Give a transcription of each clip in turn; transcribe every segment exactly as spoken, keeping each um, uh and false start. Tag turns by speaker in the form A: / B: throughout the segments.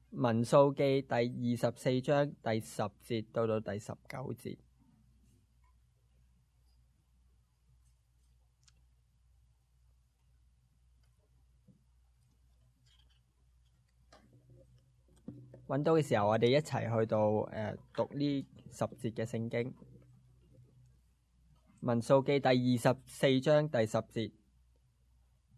A: 民數記第二十四章第十節到到第十九節。揾到嘅時候，我哋一齊去到誒、呃、讀呢十節嘅聖經。民數記第二十四章第十節，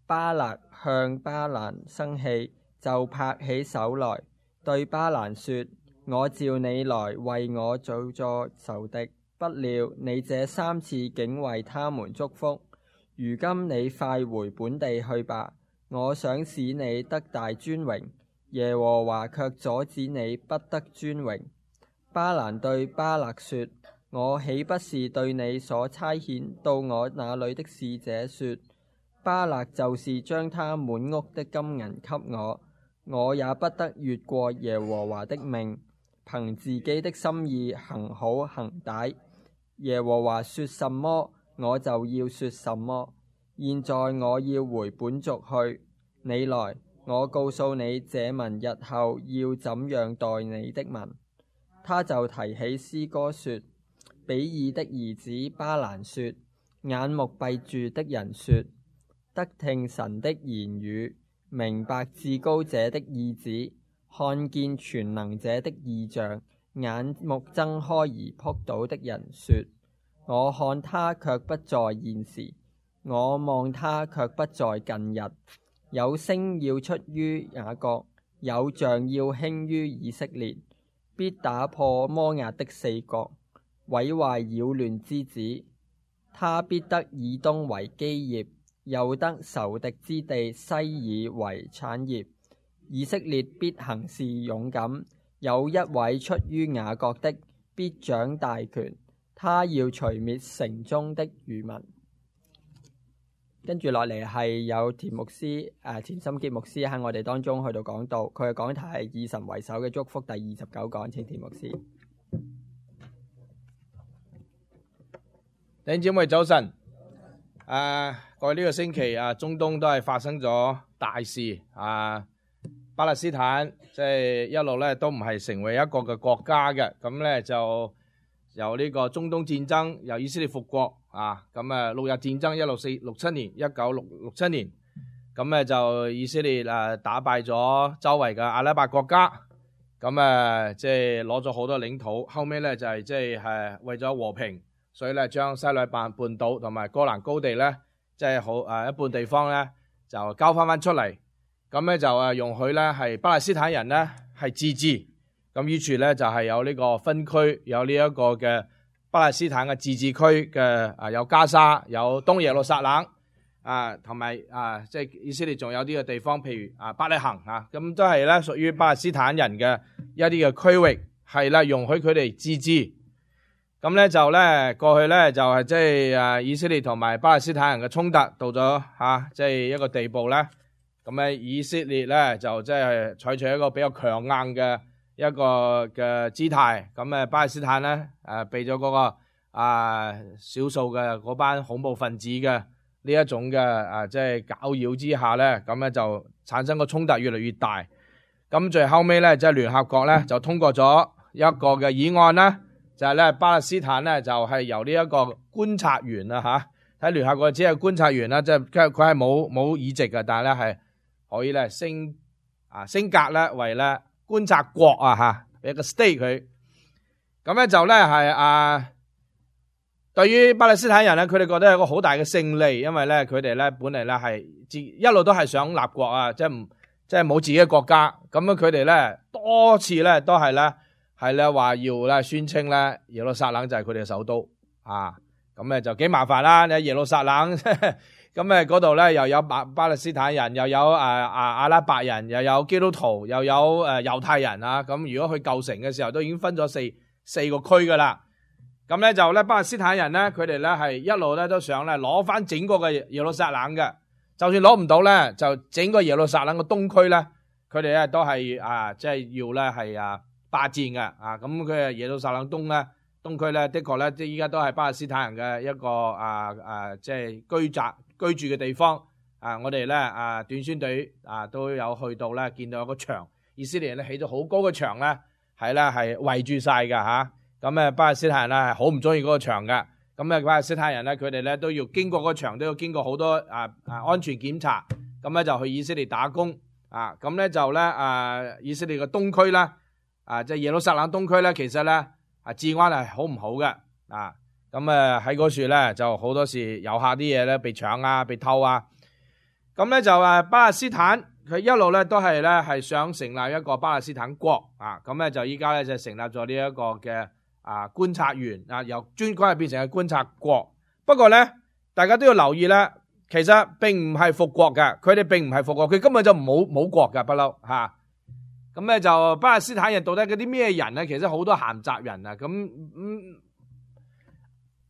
A: 巴勒向巴蘭生氣，就拍起手來，對巴蘭說：我召你來為我做作仇敵，不料你這三次竟為他們祝福。如今你快回本地去吧，我想使你得大尊榮。耶和華卻阻止你不得尊榮。巴蘭對巴勒說：我豈不是對你所差遣到我那裏的使者說，巴勒就是將他滿屋的金銀給我，我也不得越過耶和華的命，憑自己的心意行好行歹。耶和華說什麼，我就要說什麼。現在我要回本族去，你來，我告訴你這民日後要怎樣待你的民。他就提起詩歌說：比爾的兒子巴蘭說，眼目閉住的人說，得聽神的言語，明白至高者的意旨，看見全能者的異象，眼目睜開而撲倒的人說，我看他卻不在現時，我望他卻不在近日。有星要出於雅各，有像要興於以色列，必打破摩押的四角，毀壞擾亂之子。他必得以東為基業，又得仇敵之地西珥為產業。以色列必行事勇敢，有一位出於雅各的，必掌大權，他要除滅城中的餘民。跟住落嚟係有田牧師誒田心傑牧師喺我哋當中去到講道，佢嘅講題係以神為首嘅祝福第二十九講，請田牧師。
B: 弟兄姊妹早晨，誒過去呢個星期啊，中東都係發生咗大事啊，巴勒斯坦即係一路咧都唔係成為一個嘅國家嘅，咁咧就由呢個中東戰爭，由以色列復國。啊，咁啊，六日戰爭一六四六七年，一九六六七年，咁咧就以色列誒打敗咗周圍嘅阿拉伯國家，咁啊即係攞咗好多領土，後尾咧就係即係係為咗和平，所以咧將西奈半半島同埋哥蘭高地咧，即係好誒一半地方咧就交翻翻出嚟，咁咧就誒容許咧係巴勒斯坦人咧係自治，咁於處咧就係有呢個分區，有呢一個嘅。巴勒斯坦嘅自治區嘅啊，有加沙，有東耶路撒冷啊，同埋啊，即係以色列仲有啲嘅地方，譬如啊，伯利恆啊，咁都係咧屬於巴勒斯坦人嘅一啲嘅區域，係啦，容許佢哋自治。咁咧就咧過去咧就係即係啊，以色列同埋巴勒斯坦人嘅衝突到咗嚇，即係一個地步咧。咁咧以色列咧就即係採取一個比較強硬嘅一個嘅姿態，咁誒巴勒斯坦咧誒被咗嗰個啊少數嘅嗰班恐怖分子嘅呢一種嘅啊即係攪擾之下咧，咁咧就產生個衝突越嚟越大。咁最後尾咧即係聯合國咧就通過咗一個嘅議案啦，就係咧巴勒斯坦咧就係由呢一個觀察員啊嚇，喺聯合國只係觀察員啦，即係佢佢係冇冇議席嘅，但係咧係可以咧升啊升格咧為咧。觀察國啊嚇，一個 state 佢，咁咧就咧係啊，對於巴勒斯坦人咧，佢哋覺得係一個好大嘅勝利，因為咧佢哋咧本嚟咧係自一路都係想立國啊，即係唔即係冇自己嘅國家，咁樣佢哋咧多次咧都係咧係咧話要咧宣稱咧耶路撒冷就係佢哋嘅首都啊，咁咧就幾麻煩啦，你喺耶路撒冷。咁誒嗰度咧又有巴巴勒斯坦人，又有誒啊阿拉伯人，又有基督徒，又有誒猶太人啊！咁如果去舊城嘅時候，都已經分咗四四個區噶啦。咁咧就咧巴勒斯坦人咧，佢哋咧係一路咧都想咧攞翻整個嘅耶路撒冷嘅，就算攞唔到咧，就整個耶路撒冷嘅東區咧，佢哋咧都係啊即係要咧係啊霸佔嘅啊！咁佢耶路撒冷東咧東區咧，的確咧即係依家都係巴勒斯坦人嘅一個啊啊即係居宅。居住嘅地方啊，我哋咧啊短宣隊啊都有去到咧，見到有個牆，以色列咧起咗好高嘅牆咧，係咧係圍住晒㗎吓。咁啊，巴勒斯坦人咧係好唔中意嗰個牆㗎。咁啊，巴勒斯坦人咧佢哋咧都要經過嗰個牆，都要經過好多啊啊安全檢查。咁咧就去以色列打工啊。咁咧就咧啊，以色列嘅東區啦，啊即係耶路撒冷東區咧，其實咧啊治安係好唔好嘅啊。咁啊喺嗰處咧就好多時遊客啲嘢咧被搶啊，被偷啊。咁咧就啊巴勒斯坦佢一路咧都係咧係想成立一個巴勒斯坦國啊。咁咧就依家咧就成立咗呢一個嘅啊觀察員啊，由專區變成個觀察國。不過咧大家都要留意咧，其實並唔係復國嘅，佢哋並唔係復國，佢根本就冇冇國㗎不嬲吓。咁咧就巴勒斯坦人到底嗰啲咩人咧？其實好多閒雜人啊。咁嗯。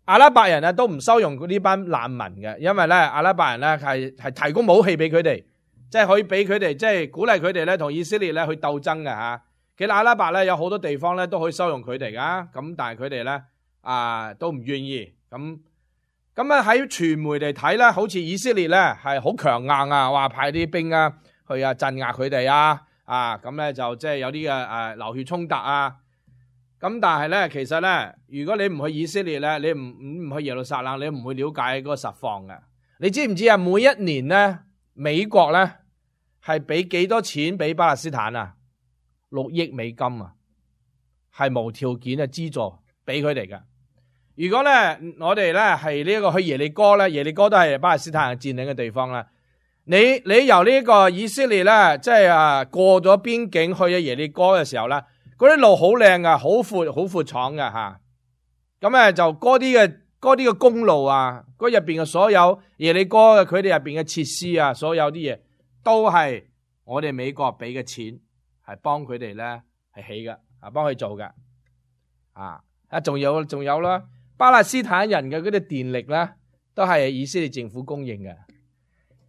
B: 阿拉伯人啊都唔收容呢班難民嘅，因為咧阿拉伯人咧係係提供武器俾佢哋，即係可以俾佢哋，即係鼓勵佢哋咧同以色列咧去鬥爭嘅吓。其實阿拉伯咧有好多地方咧都可以收容佢哋噶，咁但係佢哋咧啊都唔願意。咁咁啊喺傳媒嚟睇咧，好似以色列咧係好強硬啊，話派啲兵啊去啊鎮壓佢哋啊，啊咁咧就即係有啲嘅誒流血衝突啊。咁但係咧，其實咧，如果你唔去以色列咧，你唔唔去耶路撒冷，你唔會了解嗰個實況嘅。你知唔知啊？每一年咧，美國咧係俾幾多錢俾巴勒斯坦啊？六億美金啊，係無條件嘅資助俾佢哋嘅。如果咧我哋咧係呢一個去耶利哥咧，耶利哥都係巴勒斯坦人佔領嘅地方啦。你你由呢個以色列咧，即係啊過咗邊境去咗耶利哥嘅時候咧。嗰啲路好靚啊，好闊好闊敞嘅吓，咁咧就嗰啲嘅嗰啲嘅公路啊，嗰入邊嘅所有耶利哥嘅佢哋入邊嘅設施啊，所有啲嘢都係我哋美國俾嘅錢，係幫佢哋咧係起嘅，啊幫佢做嘅，啊啊仲有仲有啦，巴勒斯坦人嘅嗰啲電力咧都係以色列政府供應嘅，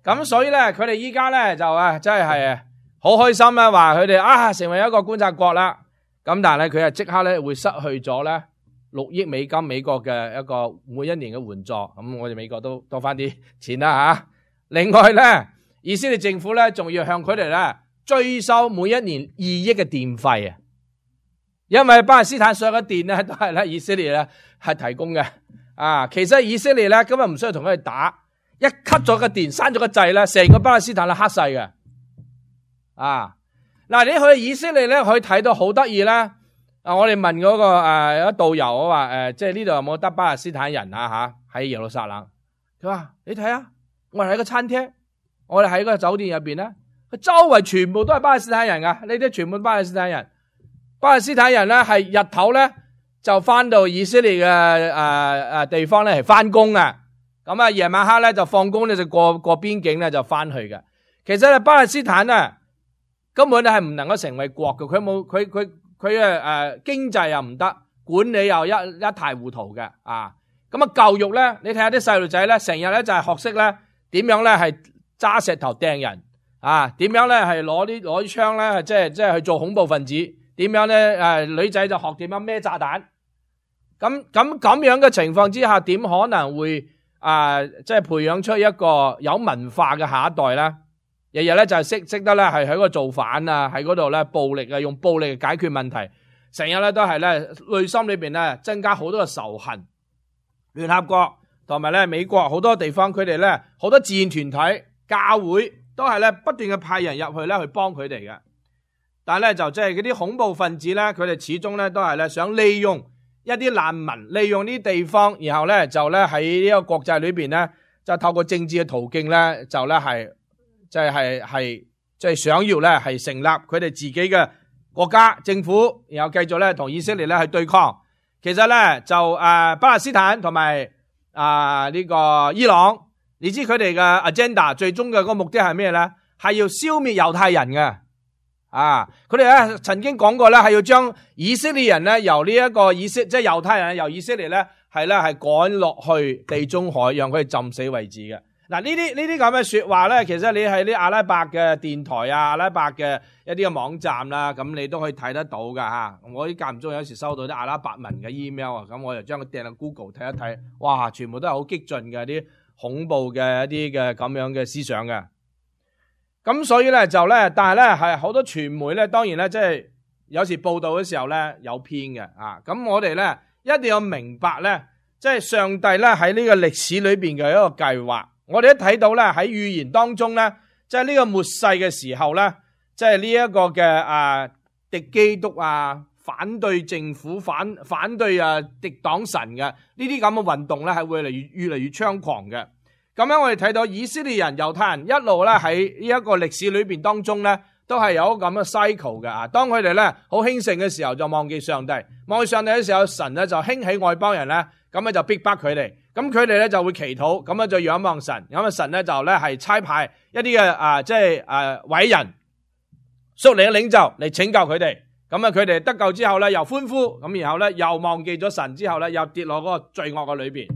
B: 咁所以咧佢哋依家咧就啊真係係好開心啦，話佢哋啊成為一個觀察國啦。咁但係咧，佢係即刻咧會失去咗咧六億美金美國嘅一個每一年嘅援助，咁我哋美國都多翻啲錢啦吓。另外咧，以色列政府咧仲要向佢哋咧追收每一年二億嘅電費啊，因為巴勒斯坦所有嘅電咧都係咧以色列咧係提供嘅啊。其實以色列咧根本唔需要同佢哋打，一 cut 咗個電，閂咗個掣咧，成個巴勒斯坦咧黑晒嘅啊。嗱，你去以色列咧，可以睇到好得意啦。啊，我哋問嗰、那個誒有、呃、導遊，我話誒，即係呢度有冇得巴勒斯坦人啊？吓喺耶路撒冷，佢話你睇下，我哋喺個餐廳，我哋喺個酒店入邊咧，佢周圍全部都係巴勒斯坦人噶，呢啲全部巴勒斯坦人。巴勒斯坦人咧係日頭咧就翻到以色列嘅誒誒地方咧係翻工嘅，咁啊夜晚黑咧就放工咧就過過邊境咧就翻去嘅。其實咧巴勒斯坦啊。根本咧係唔能夠成為國嘅，佢冇佢佢佢誒誒經濟又唔得，管理又一一塌糊塗嘅啊！咁啊教育咧，你睇下啲細路仔咧，成日咧就係學識咧點樣咧係揸石頭掟人啊，點樣咧係攞啲攞啲槍咧，即係即係去做恐怖分子，點樣咧誒女仔就學點樣孭炸彈，咁咁咁樣嘅情況之下，點可能會啊即係培養出一個有文化嘅下一代咧？日日咧就係識識得咧係喺嗰度造反啊，喺嗰度咧暴力啊，用暴力嚟解決問題，成日咧都係咧內心裏邊咧增加好多嘅仇恨。聯合國同埋咧美國好多地方，佢哋咧好多志願團體、教會都係咧不斷嘅派人入去咧去幫佢哋嘅。但係咧就即係嗰啲恐怖分子咧，佢哋始終咧都係咧想利用一啲難民，利用呢啲地方，然後咧就咧喺呢個國際裏邊咧就透過政治嘅途徑咧就咧係。即係係即係想要咧係成立佢哋自己嘅國家政府，然後繼續咧同以色列咧去對抗。其實咧就誒、呃、巴勒斯坦同埋啊呢個伊朗，你知佢哋嘅 agenda 最終嘅個目的係咩咧？係要消滅猶太人嘅啊！佢哋咧曾經講過咧係要將以色列人咧由呢一個以色即係猶太人由以色列咧係咧係趕落去地中海，讓佢哋浸死為止嘅。嗱，呢啲呢啲咁嘅說話咧，其實你喺啲阿拉伯嘅電台啊、阿拉伯嘅一啲嘅網站啦，咁你都可以睇得到噶吓。我啲間唔中有時收到啲阿拉伯文嘅 email 啊，咁我就將佢掟落 Google 睇一睇，哇，全部都係好激進嘅啲恐怖嘅一啲嘅咁樣嘅思想嘅。咁所以咧就咧，但係咧係好多傳媒咧，當然咧即係有時報道嘅時候咧有偏嘅啊。咁我哋咧一定要明白咧，即係上帝咧喺呢個歷史裏邊嘅一個計劃。我哋一睇到咧喺預言當中咧，即係呢個末世嘅時候咧，即係呢一個嘅啊敵基督啊，反對政府、反反對啊敵擋神嘅呢啲咁嘅運動咧，係會嚟越越嚟越猖狂嘅。咁樣我哋睇到以色列人、猶太人一路咧喺呢一個歷史裏邊當中咧，都係有咁嘅 cycle 嘅啊。當佢哋咧好興盛嘅時候，就忘記上帝；忘記上帝嘅時候，神咧就興起外邦人咧，咁咧就逼迫佢哋。咁佢哋咧就會祈禱，咁咧就仰望神。咁啊神咧就咧係差派一啲嘅啊，即係誒偉人、屬靈嘅領袖嚟拯救佢哋。咁啊佢哋得救之後咧又歡呼，咁然後咧又忘記咗神之後咧又跌落嗰個罪惡嘅裏邊。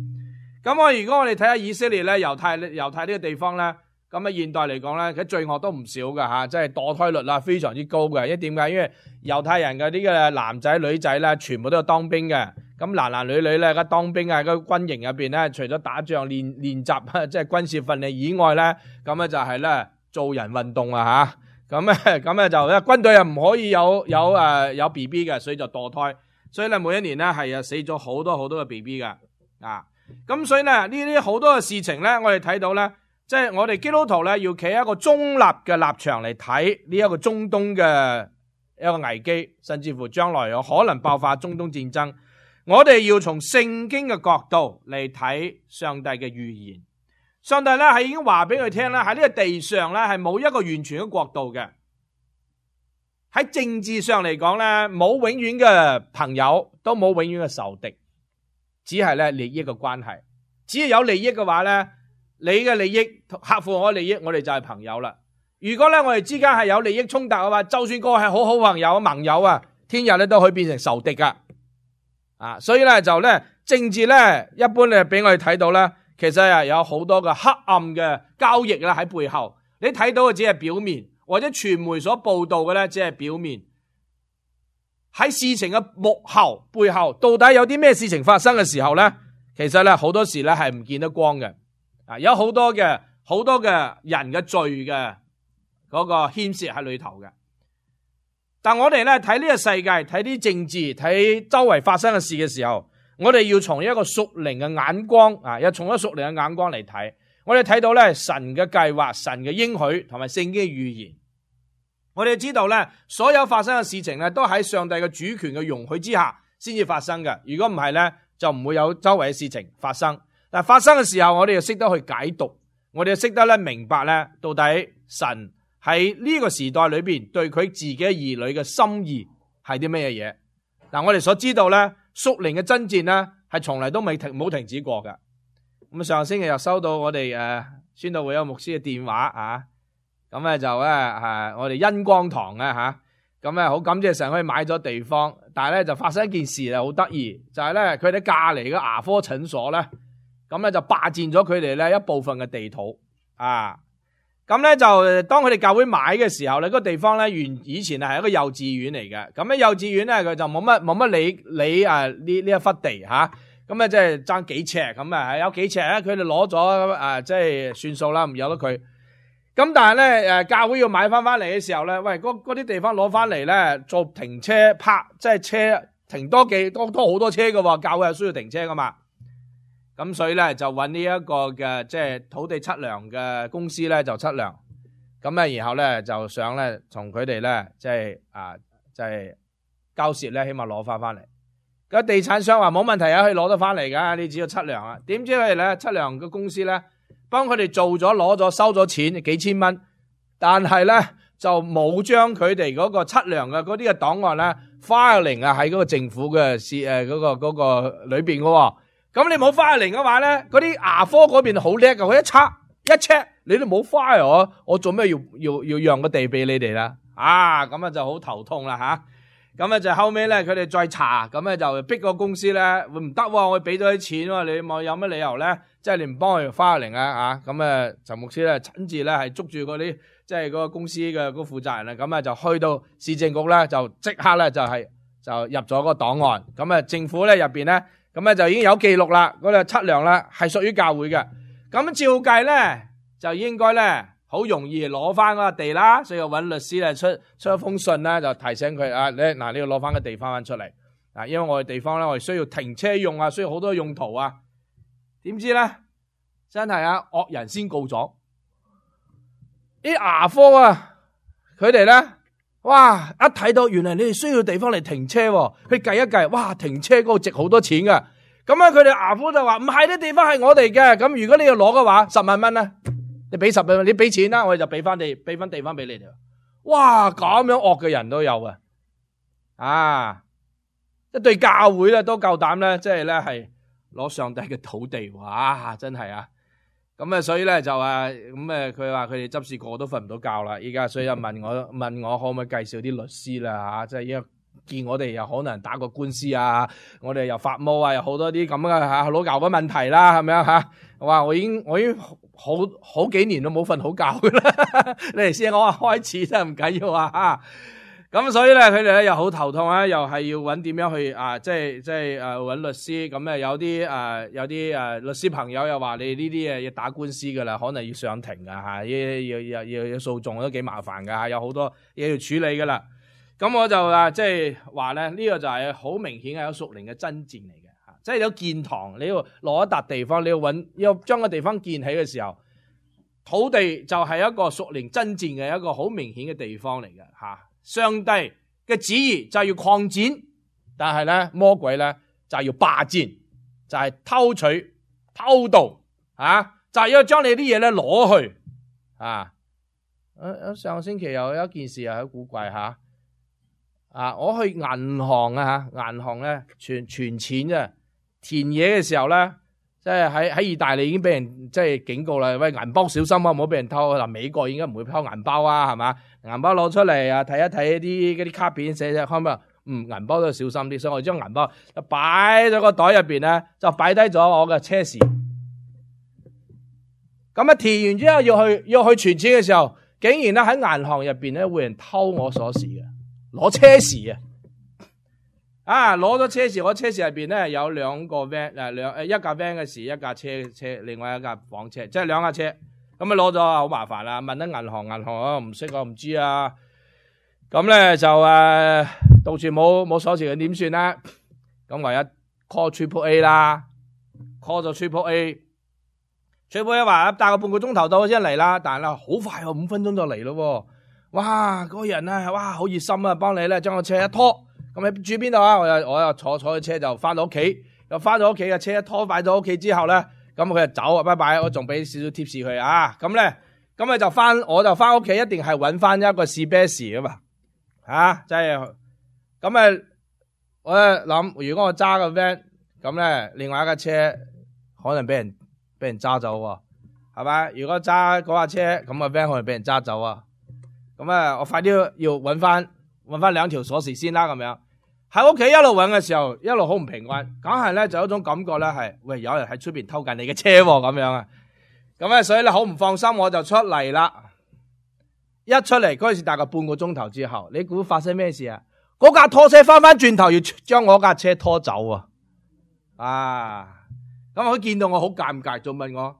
B: 咁我如果我哋睇下以色列咧、猶太猶太呢個地方咧，咁啊現代嚟講咧，佢罪惡都唔少噶吓，即係墮胎率啦非常之高嘅。因為點解？因為猶太人嘅呢個男仔女仔咧，全部都有當兵嘅。咁男男女女咧，而家當兵啊，個軍營入邊咧，除咗打仗練練習，即係軍事訓練以外咧，咁咧就係咧做人運動啊吓。咁咧咁咧就因為軍隊又唔可以有有誒有 B B 嘅，所以就墮胎。所以咧每一年咧係啊死咗好多好多嘅 B B 嘅啊。咁所以咧呢啲好多嘅事情咧，我哋睇到咧，即係我哋基督徒咧要企喺一個中立嘅立場嚟睇呢一個中東嘅一個危機，甚至乎將來有可能爆發中東戰爭。我哋要從聖經嘅角度嚟睇上帝嘅預言。上帝咧係已經話俾佢聽啦，喺呢個地上咧係冇一個完全嘅國度嘅。喺政治上嚟講咧，冇永遠嘅朋友，都冇永遠嘅仇敵。只係咧利益嘅關係，只要有利益嘅話咧，你嘅利益合乎我嘅利益，我哋就係朋友啦。如果咧我哋之間係有利益衝突嘅話，就算個係好好朋友、盟友啊，聽日咧都可以變成仇敵噶。啊，所以咧就咧政治咧，一般咧俾我哋睇到咧，其實係有好多嘅黑暗嘅交易啦喺背後。你睇到嘅只係表面，或者傳媒所報道嘅咧只係表面。喺事情嘅幕後背後，到底有啲咩事情發生嘅時候咧？其實咧好多時咧係唔見得光嘅。啊，有好多嘅好多嘅人嘅罪嘅嗰個牽涉喺裏頭嘅。但我哋咧睇呢個世界，睇啲政治，睇周圍發生嘅事嘅時候，我哋要從一個屬靈嘅眼光啊，要從一個屬靈嘅眼光嚟睇。我哋睇到咧神嘅計劃、神嘅應許同埋聖經嘅預言。我哋知道咧，所有發生嘅事情咧，都喺上帝嘅主權嘅容許之下先至發生嘅。如果唔係咧，就唔會有周圍嘅事情發生。但係發生嘅時候，我哋要識得去解讀，我哋要識得咧明白咧，到底神喺呢個時代裏邊對佢自己兒女嘅心意係啲咩嘢嘢。嗱，我哋所知道咧，屬靈嘅爭戰咧係從嚟都未停冇停止過嘅。咁上個星期又收到我哋誒宣道會有牧師嘅電話啊。咁咧就咧係我哋恩光堂啊吓，咁咧好感謝神可以買咗地方，但係咧就發生一件事啊，好得意，就係咧佢哋隔籬嘅牙科診所咧，咁咧就霸佔咗佢哋咧一部分嘅地土啊，咁咧就當佢哋教會買嘅時候咧，嗰個地方咧原以前係一個幼稚園嚟嘅，咁咧幼稚園咧佢就冇乜冇乜理理啊呢呢一忽地吓，咁咧即係爭幾尺咁啊，有幾尺咧佢哋攞咗啊，即係算數啦，唔由得佢。咁但係咧，誒教會要買翻翻嚟嘅時候咧，喂，嗰嗰啲地方攞翻嚟咧，做停車泊，即係車停多幾多多好多車噶喎，教會係需要停車噶嘛。咁所以咧就揾呢一個嘅即係土地測量嘅公司咧就測量，咁咧然後咧就想咧從佢哋咧即係啊即係交涉咧，起碼攞翻翻嚟。個地產商話冇問題啊，可以攞得翻嚟噶，你只要測量啊。點知佢哋咧測量嘅公司咧？幫佢哋做咗攞咗收咗錢幾千蚊，但係咧就冇將佢哋嗰個測量嘅嗰啲嘅檔案咧 filing 啊喺嗰個政府嘅誒嗰個嗰個裏邊嘅。咁你冇 filing 嘅話咧，嗰啲牙科嗰邊好叻嘅，佢一測一 check 你都冇 file 我，我做咩要要要讓個地俾你哋啦？啊，咁啊就好頭痛啦吓。咁咧就後尾咧佢哋再查，咁咧就逼個公司咧會唔得喎，我俾咗啲錢喎，你冇有乜理由咧？即係你唔幫佢花零啊嚇，咁誒陳牧師咧親自咧係捉住嗰啲即係嗰個公司嘅嗰個負責人啦，咁啊就去到市政局咧就即刻咧就係就入咗個檔案，咁啊政府咧入邊咧咁咧就已經有記錄啦，嗰個測量咧係屬於教會嘅，咁照計咧就應該咧好容易攞翻嗰個地啦，所以揾律師咧出出一封信啦，就提醒佢啊，你嗱你要攞翻個地翻翻出嚟啊，因為我哋地方咧我哋需要停車用啊，需要好多用途啊。點知咧真係啊惡人先告狀，啲牙科啊佢哋咧哇一睇到原來你哋需要地方嚟停車，佢計一計，哇停車嗰個值好多錢噶。咁啊，佢哋牙科就話唔係，啲地方係我哋嘅。咁如果你要攞嘅話，十萬蚊啦，你俾十萬，你俾錢啦，我哋就俾翻地，俾翻地方俾你哋。哇，咁樣惡嘅人都有啊！啊，一對教會咧都夠膽咧，即係咧係攞上帝嘅土地，哇，真係啊！咁啊，所以咧就啊，咁誒，佢話佢哋執事個個都瞓唔到覺啦。依家所以就問我問我可唔可以介紹啲律師啦吓，即係依家。見我哋又可能打過官司啊，我哋又發毛啊，有好多啲咁嘅吓老教嘅問題啦，係咪啊吓？哇！我已經我已經好好幾年都冇瞓好覺噶啦，你哋先我話開始真係唔緊要啊吓。咁所以咧，佢哋咧又好頭痛啊，又係要揾點樣去啊，即係即係誒揾律師。咁啊有啲誒有啲誒律師朋友又話你呢啲嘢要打官司噶啦，可能要上庭噶吓，要要要要要訴訟都幾麻煩噶吓，有好多嘢要處理噶啦。咁我就啊，即係話咧，呢個就係好明顯係有屬靈嘅爭戰嚟嘅吓，即係有建堂，你要攞一笪地方，你要揾，要將個地方建起嘅時候，土地就係一個屬靈爭戰嘅一個好明顯嘅地方嚟嘅吓。上帝嘅旨意就係要擴展，但係咧魔鬼咧就係要霸佔，就係偷取、偷盜啊，就係要將你啲嘢咧攞去啊。上個星期又有一件事又好古怪吓。啊！我去銀行啊吓，銀行咧存存錢啫，填嘢嘅時候咧，即係喺喺意大利已經俾人即係警告啦，喂，銀包小心啊，唔好俾人偷。嗱，美國應該唔會偷銀包啊，係嘛？銀包攞出嚟啊，睇一睇啲嗰啲卡片寫寫，可唔可以？嗯，銀包都要小心啲，所以我將銀包就擺咗個袋入邊咧，就擺低咗我嘅車匙。咁啊，填完之後要去要去存錢嘅時候，竟然咧喺銀行入邊咧會人偷我鎖匙嘅。攞車匙啊！啊，攞咗車匙，我車匙入邊咧有兩個 van 誒，兩誒一架 van 嘅匙，一架車車，另外一架房車，即係兩架車。咁啊攞咗好麻煩啦，問得銀行，銀行我唔識我唔知啊。咁咧就誒、啊、到處冇冇鎖匙嘅點算咧？咁唯一 call Triple A 啦 ，call 咗 Triple A，Triple A 話大概半個鐘頭到先嚟啦，但係咧好快喎，五分鐘就嚟咯。哇！嗰、那個人啊，哇，好熱心啊，幫你咧將個車一拖，咁你住邊度啊？我又我又坐坐嘅車就翻到屋企，又翻到屋企嘅車一拖擺到屋企之後咧，咁佢就走啊，拜拜，我仲俾少少 tips 佢啊，咁咧，咁咪就翻，我就翻屋企一定係揾翻一個士啤士啊嘛，吓，即係，咁啊，我諗如果我揸個 van，咁咧另外一架車可能俾人俾人揸走喎，係咪？如果揸嗰架車，咁個 van 可能俾人揸走啊。咁啊，我快啲要揾翻揾翻兩條鎖匙先啦，咁樣喺屋企一路揾嘅時候，一路好唔平安，梗係咧就有一種感覺咧係，喂，有人喺出邊偷緊你嘅車咁樣啊，咁咧所以咧好唔放心，我就出嚟啦。一出嚟嗰陣時大概半個鐘頭之後，你估發生咩事啊？嗰架拖車翻翻轉頭要將我架車拖走啊！啊，咁佢見到我好尷尬，仲問我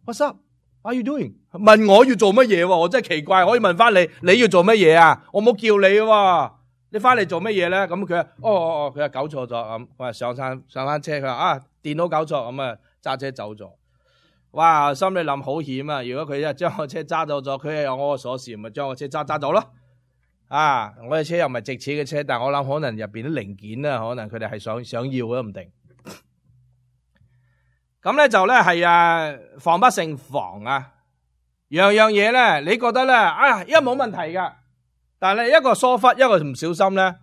B: What's up？What are you doing？ 問我要做乜嘢？我真係奇怪，可以問翻你，你要做乜嘢啊？我冇叫你喎，你翻嚟做乜嘢咧？咁佢話哦哦哦，佢話搞錯咗咁，我話上山上翻車，佢話啊電腦搞錯，咁啊揸車走咗。哇，心裏諗好險啊！如果佢一將我車揸走咗，佢又有我個鎖匙，咪將我車揸揸走咯。啊，我嘅車又唔係值錢嘅車，但係我諗可能入邊啲零件啊，可能佢哋係想想要都唔定。咁咧就咧係啊，防不勝防啊！樣樣嘢咧，你覺得咧，啊，一冇問題噶，但係一個疏忽，一個唔小心咧，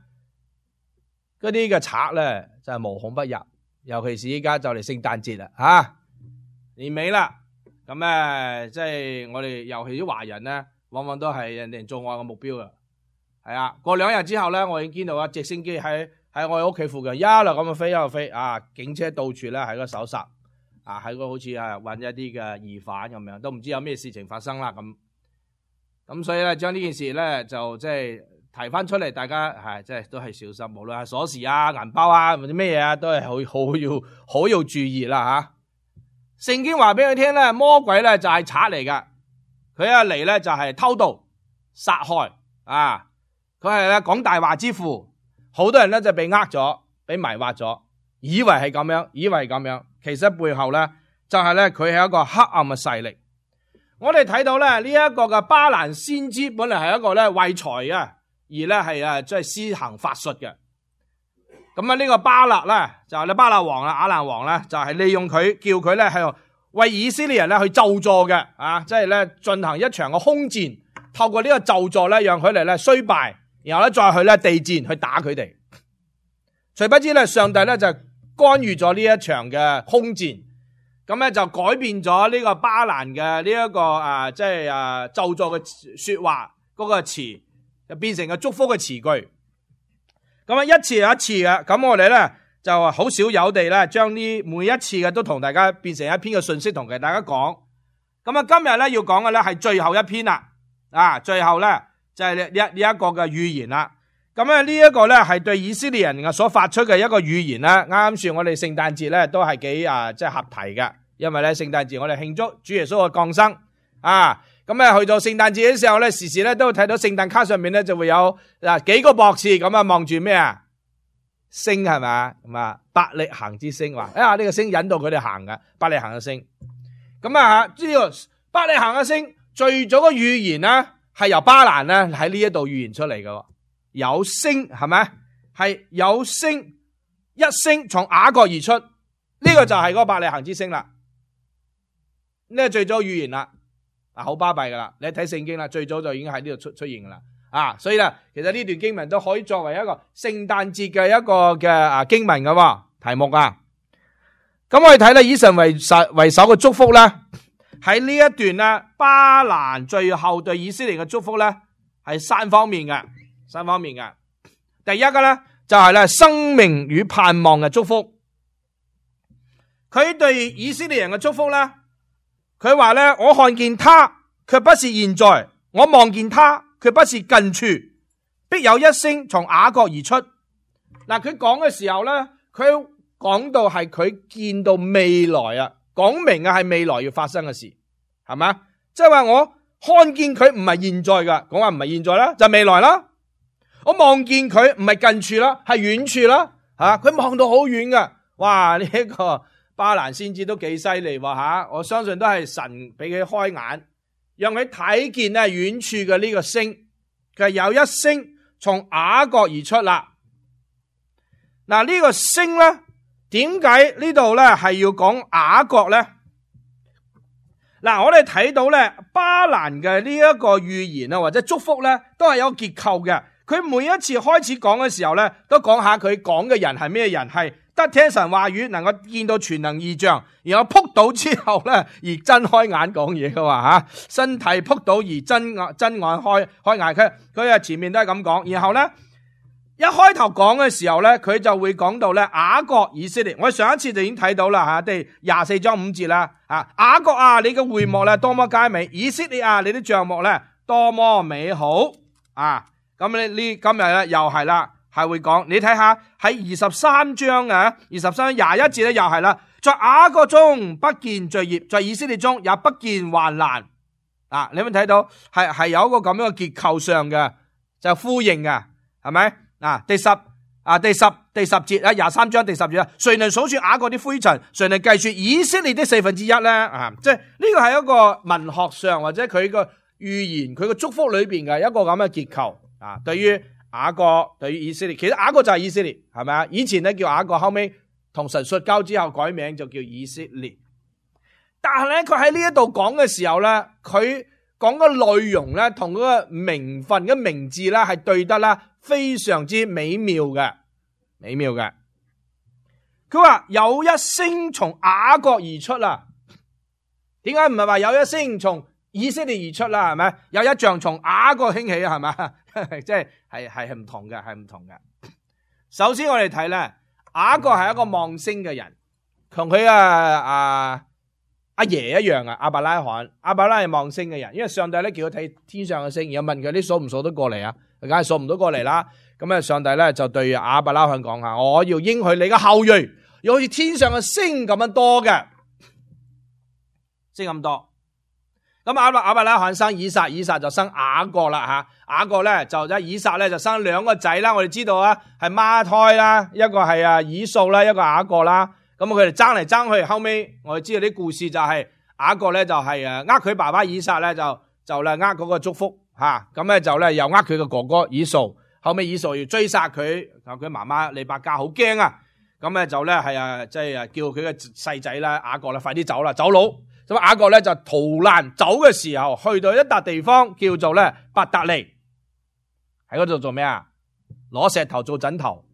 B: 嗰啲嘅賊咧就係無孔不入。尤其是依家就嚟聖誕節啦，吓年尾啦，咁咧即係我哋尤其啲華人咧，往往都係人哋做愛嘅目標噶。係啊，過兩日之後咧，我已經見到啊直升機喺喺我哋屋企附近一路咁樣飛一路飛啊，警車到處咧喺個搜殺。啊，喺個好似啊揾一啲嘅疑犯咁樣，都唔知有咩事情發生啦咁。咁所以咧，將呢件事咧就即係提翻出嚟，大家係即係都係小心，無論係鎖匙啊、銀包啊或者咩嘢啊，都係好好要好要注意啦吓。聖經話俾佢聽咧，魔鬼咧就係賊嚟噶，佢一嚟咧就係偷盜、殺害啊！佢係咧講大話之父，好多人咧就被呃咗，被迷惑咗，以為係咁樣，以為係咁樣，其實背後咧就係咧佢係一個黑暗嘅勢力。我哋睇到咧呢一個嘅巴蘭先知本嚟係一個咧為財啊，而咧係啊即係施行法術嘅。咁啊呢個巴勒咧就係咧巴勒王啦，亞蘭王咧就係利用佢，叫佢咧係為以色列人咧去咒詛嘅啊，即係咧進行一場嘅空戰，透過呢個咒詛咧讓佢哋咧衰敗，然後咧再去咧地戰去打佢哋。誰不知咧上帝咧就干預咗呢一場嘅空戰。咁咧就改變咗呢個巴蘭嘅呢一個啊，即係啊咒詛嘅說話嗰個詞，就變成個祝福嘅詞句。咁啊一次又一次嘅，咁我哋咧就好少有地咧將呢每一次嘅都同大家變成一篇嘅信息同大家講。咁啊今日咧要講嘅咧係最後一篇啦，啊最後咧就係呢呢一個嘅預言啦。咁咧呢一個咧係對以色列人嘅所發出嘅一個預言啦。啱啱算我哋聖誕節咧都係幾啊即係合題嘅，因為咧聖誕節我哋慶祝主耶穌嘅降生啊。咁咧去到聖誕節嘅時候咧，時時咧都會睇到聖誕卡上面咧就會有嗱幾個博士咁啊望住咩啊星係咪咁啊伯利恆之星，話啊呢個星引導佢哋行嘅伯利恆嘅星。咁啊呢個伯利恆嘅星最早嘅預言咧係由巴蘭咧喺呢一度預言出嚟嘅。有星係咪？係有星，一星從雅各而出，呢、這個就係嗰個伯利恆之星啦。呢、這個最早預言啦，啊好巴閉噶啦！你睇聖經啦，最早就已經喺呢度出出現噶啦。啊，所以咧，其實呢段經文都可以作為一個聖誕節嘅一個嘅啊經文噶題目啊。咁我哋睇咧，以神為首為首嘅祝福咧，喺呢一段咧，巴蘭最後對以色列嘅祝福咧，係三方面嘅。三方面嘅，第一個咧就係咧生命與盼望嘅祝福。佢對以色列人嘅祝福咧，佢話咧我看見他，卻不是現在；我望見他，卻不是近處。必有一星從雅各而出。嗱，佢講嘅時候咧，佢講到係佢見到未來啊，講明啊係未來要發生嘅事，係咪？即係話我看見佢唔係現在噶，講話唔係現在啦，就係未來啦。我望見佢唔係近處啦，係遠處啦，吓佢望到好遠噶。哇！呢、這、一個巴蘭先知都幾犀利喎吓，我相信都係神俾佢開眼，讓佢睇見咧遠處嘅呢個星，佢係有一星從雅各而出啦。嗱、這、呢個星咧，點解呢度咧係要講雅各咧？嗱，我哋睇到咧巴蘭嘅呢一個預言啊，或者祝福咧，都係有個結構嘅。佢每一次開始講嘅時候咧，都講下佢講嘅人係咩人，係得聽神話語，能夠見到全能異象，然後撲倒之後咧而睜開眼講嘢嘅話吓，身體撲倒而睜眼睜眼開開眼，佢佢啊前面都係咁講，然後咧一開頭講嘅時候咧，佢就會講到咧雅各以色列，我哋上一次就已經睇到啦吓，第廿四章五節啦，啊雅各啊，你嘅會幕咧多麼佳美，以色列啊，你啲帳幕咧多麼美好啊！咁你呢今日咧又係啦，係會講你睇下喺二十三章啊，二十三章廿一節咧又係啦，在雅各中不見罪孽，在以色列中也不見患難啊！你有冇睇到係係有一個咁樣嘅結構上嘅就呼應嘅，係咪啊？第十啊第十第十節啊廿三章第十節啊，誰能數算雅各啲灰塵？誰能計算以色列的四分之一咧？啊，即係呢個係一個文學上或者佢個預言佢個祝福裏邊嘅一個咁嘅結構。啊，對於雅各，對於以色列，其實雅各就係以色列，係咪啊？以前咧叫雅各，後尾同神摔交之後改名就叫以色列。但係咧，佢喺呢一度講嘅時候咧，佢講嘅內容咧，同嗰個名分嘅名字咧係對得啦，非常之美妙嘅，美妙嘅。佢話有一星從雅各而出啦，點解唔係話有一星從以色列而出啦？係咪？有一象從雅各興起啊？係咪？即係係係唔同嘅，係唔同嘅。首先我哋睇咧，雅各係一個望星嘅人，同佢啊啊阿爺一樣啊，亞伯拉罕，亞伯拉係望星嘅人，因為上帝咧叫佢睇天上嘅星，然後問佢啲數唔數得過嚟啊？梗係數唔到過嚟啦。咁啊，上帝咧就對亞伯拉罕講下，我要應許你嘅後裔，要好似天上嘅星咁樣多嘅，星咁多。咁亞伯亞伯拉罕生以撒，以撒就生雅各啦吓，雅各咧就即以撒咧就生兩個仔啦。我哋知道啊，係孖胎啦，一個係啊以掃啦，一個雅各啦。咁佢哋爭嚟爭去，後尾我哋知道啲故事就係雅各咧就係誒呃佢爸爸以撒咧就就咧呃嗰個祝福吓，咁咧就咧又呃佢個哥哥以掃，後尾以掃要追殺佢，佢媽媽利百加好驚啊，咁咧就咧係啊即係叫佢嘅細仔啦雅各啦快啲走啦，走佬。咁雅各咧就逃難走嘅時候，去到一笪地方叫做咧伯特利，喺嗰度做咩啊？攞石頭做枕頭，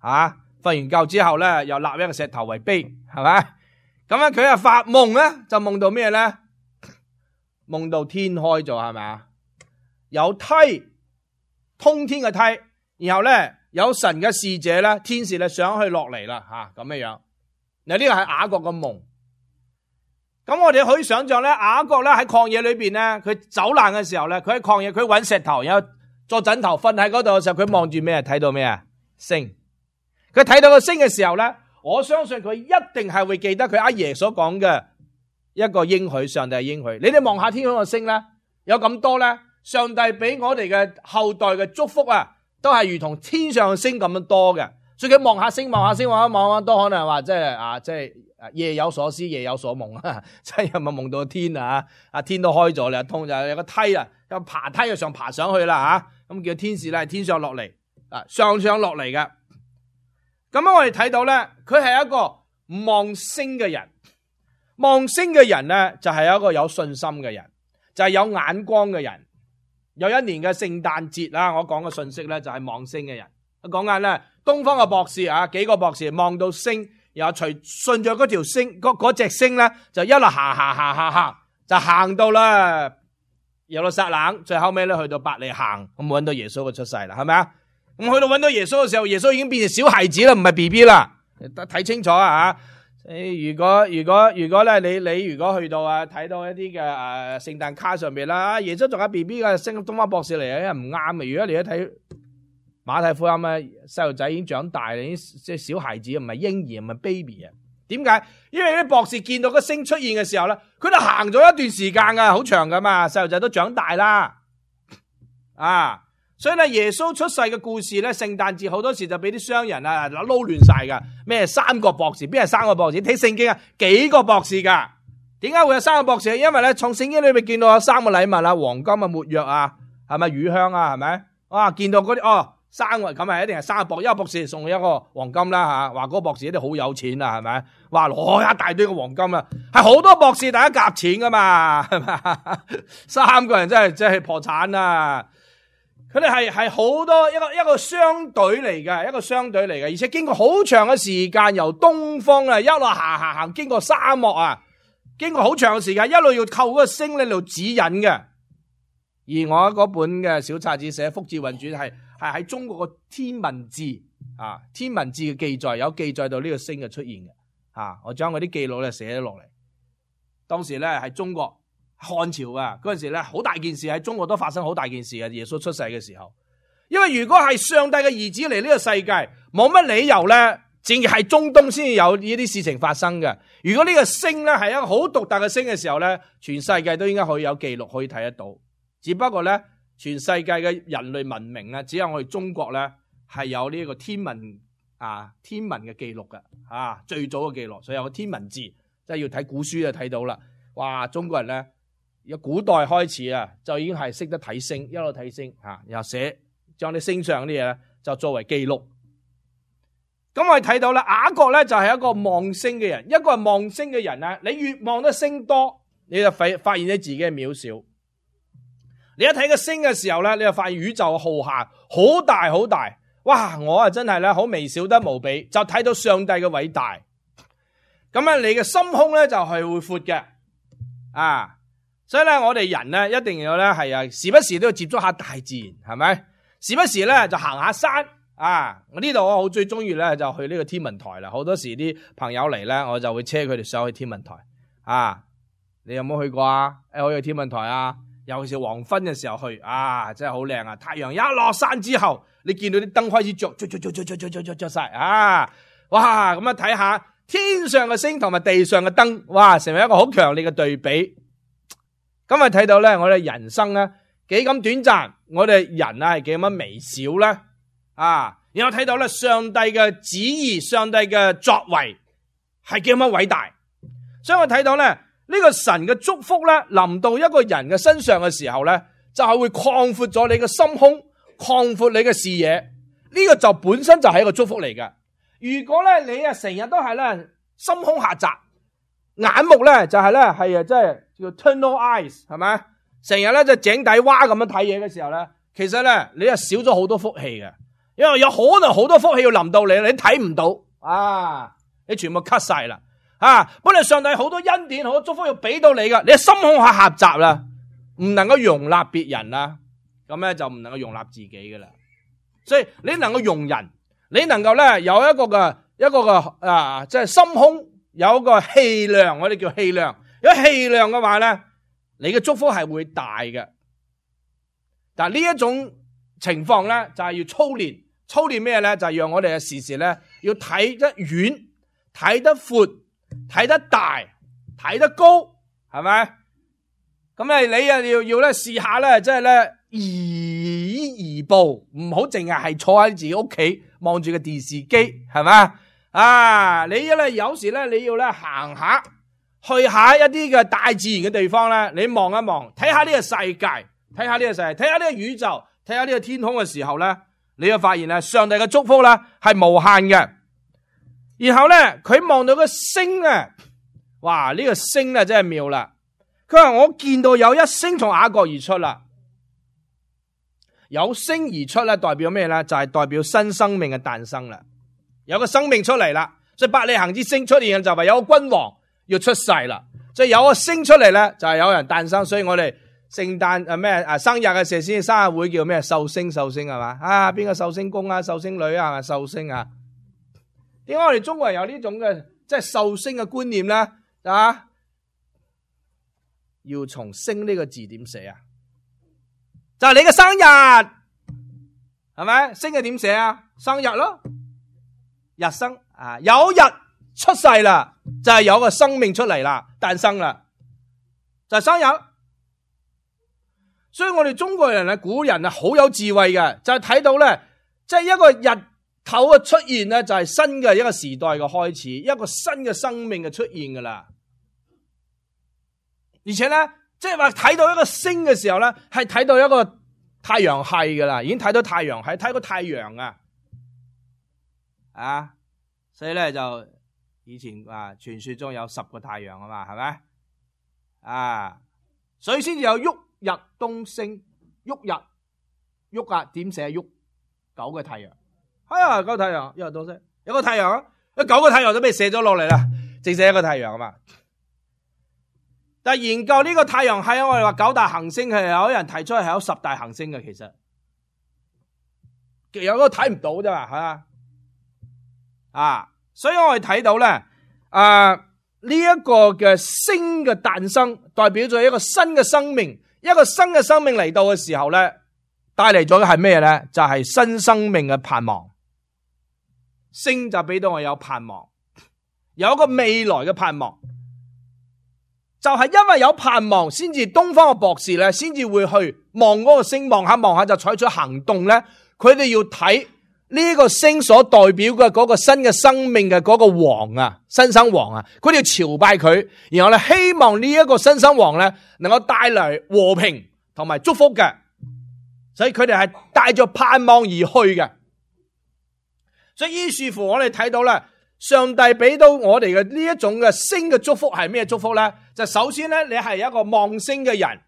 B: 吓瞓完覺之後咧，又立一個石頭為碑，係咪？咁咧佢啊發夢咧，就夢到咩咧？夢到天開咗，係咪啊？有梯，通天嘅梯，然後咧有神嘅使者咧，天使咧上去落嚟啦，吓咁樣樣。嗱呢個係雅各嘅夢。咁我哋可以想象咧，雅各咧喺曠野裏邊咧，佢走難嘅時候咧，佢喺曠野，佢揾石頭，然後做枕頭瞓喺嗰度嘅時候，佢望住咩？睇到咩啊？星。佢睇到個星嘅時候咧，我相信佢一定係會記得佢阿爺所講嘅一個應許，上帝嘅應許。你哋望下天空嘅星咧，有咁多咧，上帝俾我哋嘅後代嘅祝福啊，都係如同天上嘅星咁樣多嘅。所以佢望下星，望下星，望下望下，都可能話即係啊，即係。夜有所思，夜有所夢啊！真係咪夢到天啊？啊天都開咗啦，通就有個梯啊，有爬梯啊上爬上去啦吓，咁叫天使咧，天上落嚟啊，上上落嚟嘅。咁樣我哋睇到咧，佢係一個望星嘅人，望星嘅人咧就係一個有信心嘅人，就係有眼光嘅人。有一年嘅聖誕節啦，我講嘅信息咧就係望星嘅人。我講緊咧東方嘅博士啊，幾個博士望到星。又隨順着嗰條星，嗰嗰隻星咧，就一路行行行行行，就行到啦耶路撒冷，最後尾咧去到伯利恆，咁搵到耶穌嘅出世啦，係咪啊？咁去到搵到耶穌嘅時候，耶穌已經變成小孩子啦，唔係 B B 啦，睇清楚啊吓！誒，如果如果如果咧，你你如果去到啊睇到一啲嘅誒聖誕卡上邊啦，耶穌仲有 B B 嘅升東方博士嚟啊，因為唔啱嘅。如果你一睇。馬太福音咧，細路仔已經長大啦，已經即係小孩子，唔係嬰兒，唔係 baby 啊。點解？因為啲博士見到個星出現嘅時候咧，佢都行咗一段時間噶，好長噶嘛，細路仔都長大啦，啊！所以咧，耶穌出世嘅故事咧，聖誕節好多時就俾啲商人啊撈亂晒噶。咩三個博士？邊係三個博士？睇聖經啊，幾個博士噶？點解會有三個博士？因為咧，從聖經裏面見到有三個禮物啊，黃金啊、沒藥啊，係咪乳香啊？係咪？哇！見到嗰啲哦。三個咁係一定係三個博士，一個博士送一個黃金啦吓，話嗰個博士一定好有錢啊，係咪？話攞一大堆嘅黃金啊，係好多博士大家夾錢噶嘛，係咪？三個人真係真係破產啊！佢哋係係好多一個一個商隊嚟嘅，一個商隊嚟嘅，而且經過好長嘅時間，由東方啊一路行行行，經過沙漠啊，經過好長嘅時間，一路要靠嗰個星喺度指引嘅。而我嗰本嘅小冊子寫《福智運轉》係。係喺中國個天文志啊，天文志嘅記載有記載到呢個星嘅出現嘅啊，我將嗰啲記錄咧寫咗落嚟。當時咧喺中國漢朝啊，嗰陣時咧好大件事，喺中國都發生好大件事啊！耶穌出世嘅時候，因為如果係上帝嘅兒子嚟呢個世界，冇乜理由咧，淨係中東先至有呢啲事情發生嘅。如果呢個星咧係一個好獨特嘅星嘅時候咧，全世界都應該可以有記錄可以睇得到。只不過咧。全世界嘅人類文明啊，只有我哋中國咧係有呢個天文啊天文嘅記錄嘅啊，最早嘅記錄，所以有個天文字，即係要睇古書就睇到啦。哇，中國人咧由古代開始啊，就已經係識得睇星，一路睇星啊，然後寫將啲星上啲嘢咧就作為記錄。咁我哋睇到啦，雅各咧就係一個望星嘅人，一個係望星嘅人咧，你越望得星多，你就發發現咗自己嘅渺小。你一睇個星嘅時候咧，你就發現宇宙浩瀚，好大好大，哇！我啊真係咧好微小得無比，就睇到上帝嘅偉大。咁咧，你嘅心胸咧就係會闊嘅啊！所以咧，我哋人咧一定要咧係啊，時不時都要接觸下大自然，係咪？時不時咧就行下山啊！我呢度我好最中意咧就去呢個天文台啦。好多時啲朋友嚟咧，我就會車佢哋上去天文台啊！你有冇去過啊？誒，我去天文台啊！尤其是黃昏嘅時候去，啊，真係好靚啊！太陽一落山之後，你見到啲燈開始着着着着着着着着着晒，啊！哇，咁啊睇下天上嘅星同埋地上嘅燈，哇，成為一個好強烈嘅對比。今日睇到咧，我哋人生咧幾咁短暫，我哋人啊係幾咁微小咧啊！然後睇到咧上帝嘅旨意，上帝嘅作為係幾咁偉大，所以我睇到咧呢個神嘅祝福咧臨到一個人嘅身上嘅時候咧，就係會擴闊咗你嘅心胸，擴闊你嘅視野，呢個就本身就係一個祝福嚟嘅。如果咧你啊成日都係咧心胸狹窄，眼目咧就係咧係啊即係叫 tunnel eyes 係咪？成日咧就井底蛙咁樣睇嘢嘅時候咧，其實咧你係少咗好多福氣嘅，因為有可能好多福氣要臨到你，你睇唔到啊，你全部 cut 晒啦啊！本來上帝好多恩典、好多祝福要俾到你噶，你心胸下狹窄啦，唔能夠容納別人啦，咁咧就唔能夠容納自己噶啦。所以你能夠容人，你能夠咧有一個嘅一個嘅啊，即係心胸有一個氣量，我哋叫氣量。有氣量嘅話咧，你嘅祝福係會大嘅。但係呢一種情況咧，就係要操練，操練咩咧？就係讓我哋嘅時時咧要睇得遠、睇得闊、睇得大、睇得高，係咪？咁咧你啊要要咧試下咧，即係咧移移步，唔好淨係係坐喺自己屋企望住個電視機，係咪啊？你咧有時咧你要咧行下，去下一啲嘅大自然嘅地方咧，你望一望，睇下呢個世界，睇下呢個世界，睇下呢個宇宙，睇下呢個天空嘅時候咧，你就發現咧上帝嘅祝福咧係無限嘅。然後咧佢望到個星啊，哇！呢個星咧真係妙啦。佢話我見到有一星從雅各而出啦，有星而出咧代表咩咧？就係代表新生命嘅誕生啦，有個生命出嚟啦。所以伯利恆之星出現就係有個君王要出世啦，所以有個星出嚟咧就係有人誕生。所以我哋聖誕誒咩啊生日嘅時候先生日會叫咩壽星壽星係嘛啊？邊個壽星公啊壽星女啊壽星啊？點解我哋中國人有呢種嘅即係壽星嘅觀念咧啊？要從星呢個字點寫啊？就係你嘅生日係咪？星係點寫啊？生日咯，日生啊，有日出世啦，就係有個生命出嚟啦，誕生啦，就係生日。所以我哋中國人啊，古人啊，好有智慧嘅，就係睇到咧，即係一個日頭嘅出現咧，就係新嘅一個時代嘅開始，一個新嘅生命嘅出現噶啦。而且咧，即係話睇到一個星嘅時候咧，係睇到一個太陽系噶啦，已經睇到太陽系，睇到太陽啊，啊，所以咧就以前啊傳說中有十個太陽啊嘛，係咪啊？所以先至有旭日東升，旭日旭啊，點寫旭？九個太陽，係啊，九個太陽，旭日東升，有個太陽啊，有九個太陽都俾射咗落嚟啦，淨剩一個太陽啊嘛。但係研究呢個太陽系，我哋話九大行星係有人提出係有十大行星嘅，其實有個睇唔到啫嘛，係嘛啊？所以我哋睇到咧，啊呢一個嘅星嘅誕生，代表咗一個新嘅生命，一個新嘅生命嚟到嘅時候咧，帶嚟咗嘅係咩咧？就係新生命嘅盼望。星就俾到我有盼望，有一個未來嘅盼望。就係因為有盼望，先至東方嘅博士咧，先至會去望嗰個星，望下望下就採取行動咧。佢哋要睇呢個星所代表嘅嗰個新嘅生命嘅嗰個王啊，新生王啊，佢哋要朝拜佢，然後咧希望呢一個新生王咧能夠帶嚟和平同埋祝福嘅，所以佢哋係帶着盼望而去嘅。所以於是乎我哋睇到咧，上帝俾到我哋嘅呢一種嘅星嘅祝福係咩祝福咧？就首先咧，你係一個望星嘅人，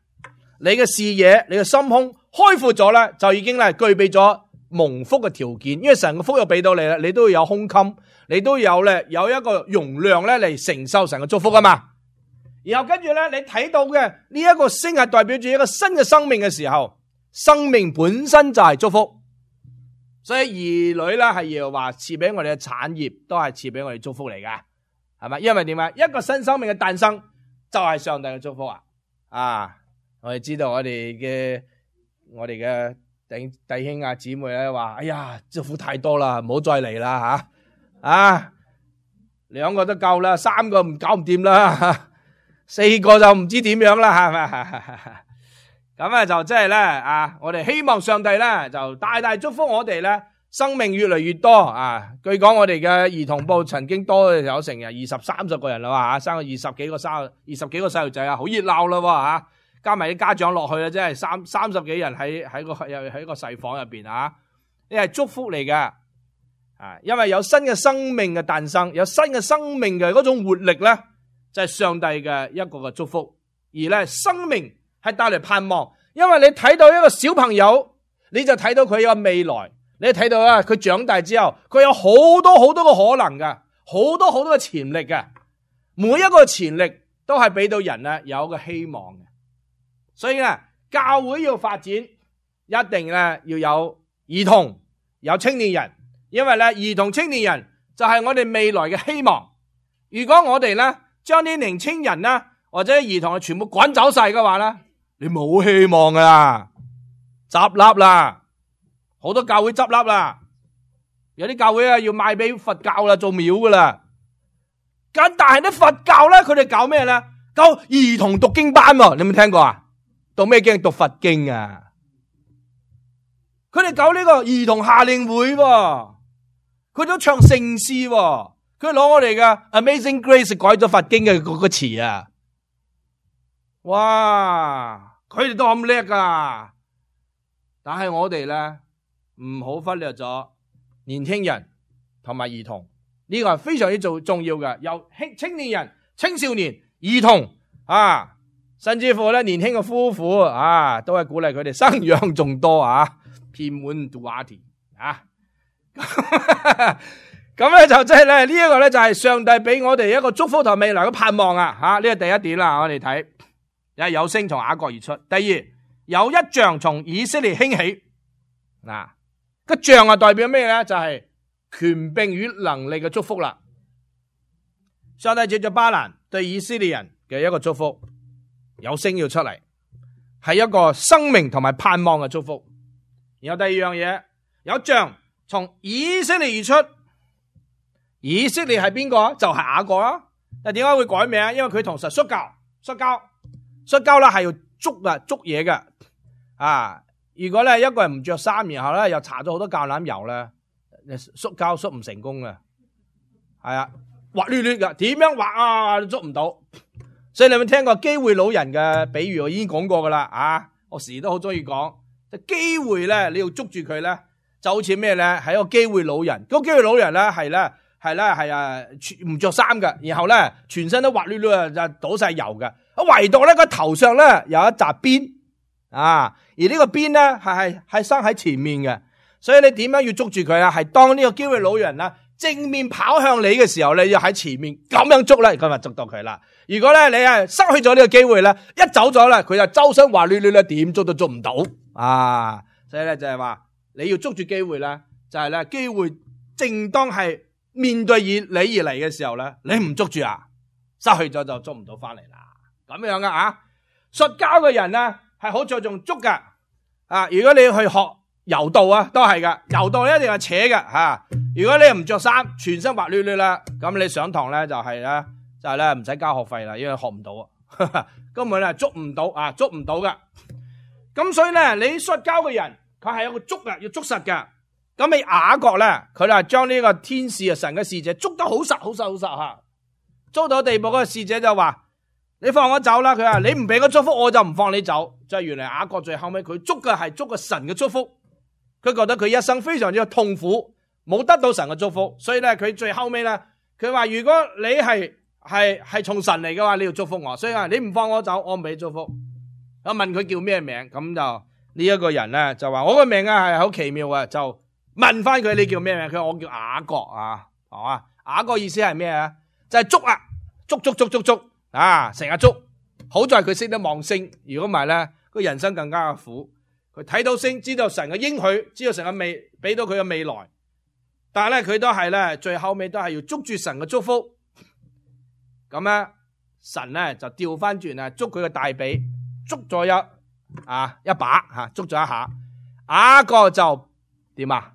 B: 你嘅視野、你嘅心胸開闊咗咧，就已經咧具備咗蒙福嘅條件。因為神嘅福又俾到你啦，你都要有胸襟，你都有咧有一個容量咧嚟承受神嘅祝福啊嘛。然後跟住咧，你睇到嘅呢一個星係代表住一個新嘅生命嘅時候，生命本身就係祝福。所以兒女咧係要話賜俾我哋嘅產業，都係賜俾我哋祝福嚟噶，係咪？因為點啊？一個新生命嘅誕生就係上帝嘅祝福啊！啊，我哋知道我哋嘅我哋嘅弟弟兄啊姊妹咧話：哎呀，祝福太多啦，唔好再嚟啦吓！啊，兩個都夠啦，三個唔搞唔掂啦，四個就唔知點樣啦，係咪？咁啊就即係咧啊，我哋希望上帝咧就大大祝福我哋咧，生命越嚟越多啊！據講我哋嘅兒童部曾經多有成日二十三十個人啦吓，生咗二十幾個生二十幾個細路仔啊，好熱鬧啦吓，加埋啲家長落去啦，即係三三十幾人喺喺個又喺個細房入邊啊，呢係祝福嚟嘅啊！因為有新嘅生命嘅誕生，有新嘅生命嘅嗰種活力咧，就係上帝嘅一個嘅祝福。而咧生命係帶嚟盼望，因為你睇到一個小朋友，你就睇到佢有未來。你睇到啊，佢長大之後，佢有好多好多嘅可能㗎，好多好多嘅潛力㗎。每一個潛力都係俾到人咧有一個希望嘅。所以咧，教會要發展，一定咧要有兒童、有青年人，因為咧兒童、青年人就係我哋未來嘅希望。如果我哋咧將啲年青人咧或者兒童全部趕走晒嘅話咧，你冇希望噶啦，執笠啦。好多教會執笠啦，有啲教會啊要賣俾佛教啦，做廟噶啦。咁但係啲佛教咧，佢哋搞咩咧？搞兒童讀經班喎，你有冇聽過啊？讀咩經？讀佛經啊！佢哋搞呢個兒童夏令會喎，佢都唱聖詩喎，佢攞我哋嘅 Amazing Grace 改咗佛經嘅嗰個詞啊！哇，佢哋都咁叻噶，但係我哋咧。唔好忽略咗年輕人同埋兒童，呢個係非常之重重要嘅。由青年人、青少年、兒童啊，甚至乎咧年輕嘅夫婦啊，都係鼓勵佢哋生養眾多啊，遍滿杜瓦田啊。咁咧就即係咧呢一個咧就係上帝俾我哋一個祝福同未來嘅盼望啊！吓，呢個第一點啦，我哋睇有有星從雅各而出。第二，有一杖從以色列興起嗱。個杖啊代表咩咧？就係權柄與能力嘅祝福啦。上帝借着巴蘭對以色列人嘅一個祝福，有星要出嚟，係一個生命同埋盼望嘅祝福。然後第二樣嘢，有杖從以色列而出。以色列係邊個？就係雅各啦。但點解會改名？因為佢同神摔跤，摔跤，摔跤啦，係要捉啊捉嘢嘅啊。如果咧一個人唔着衫，然後咧又搽咗好多橄欖油咧，摔跤摔唔成功嘅，係啊，滑捋捋嘅，點樣滑啊都捉唔到。所以你有冇聽過機會老人嘅比喻？我已經講過噶啦，啊，我時都好中意講。機會咧，你要捉住佢咧，就好似咩咧？係一個機會老人。嗰個機會老人咧係咧係咧係啊，唔着衫嘅，然後咧全身都滑捋捋啊，就倒晒油嘅。唯獨咧個頭上咧有一紮邊。啊！而呢個鞭咧係係係生喺前面嘅，所以你點樣要捉住佢啊？係當呢個機會老人啦正面跑向你嘅時候，你要喺前面咁樣捉咧，咁就捉到佢啦。如果咧你係失去咗呢個機會咧，一走咗咧，佢就周身滑捋捋咧，點捉都捉唔到啊！所以咧就係話你要捉住機會咧，就係咧機會正當係面對以你而嚟嘅時候咧，你唔捉住啊，失去咗就捉唔到翻嚟啦。咁樣噶啊，摔跤嘅人咧。係好着重捉噶，啊！如果你去學柔道啊，都係噶，柔道一定係扯噶吓、啊。如果你唔着衫，全身滑捋捋啦，咁你上堂咧就係咧，就係咧唔使交學費啦，因為學唔到啊，根本咧捉唔到啊，捉唔到噶。咁所以咧，你摔跤嘅人，佢係有個捉啊，要捉實噶。咁你雅各咧，佢就係將呢個天使啊，神嘅使者捉得好實，好實，好實吓。捉到地步，嗰個使者就話。你放我走啦！佢話你唔俾我祝福，我就唔放你走。就係原來雅各最後尾佢捉嘅係捉個神嘅祝福，佢覺得佢一生非常之痛苦，冇得到神嘅祝福，所以咧佢最後尾咧，佢話如果你係係係從神嚟嘅話，你要祝福我。所以話你唔放我走，我唔俾祝福。我問佢叫咩名，咁就呢一個人咧就話我個名啊係好奇妙啊，就問翻佢你叫咩名？佢話我叫雅各啊，係嘛？雅各意思係咩啊？就係捉啊，捉捉捉捉捉。啊！成日捉，好在佢識得望星，如果唔係咧，個人生更加嘅苦。佢睇到星，知道神嘅應許，知道神嘅未俾到佢嘅未來，但係咧佢都係咧，最後尾都係要捉住神嘅祝福。咁咧，神咧就調翻轉啊，捉佢嘅大髀，捉咗一啊一把吓，捉咗一下，雅各就點啊？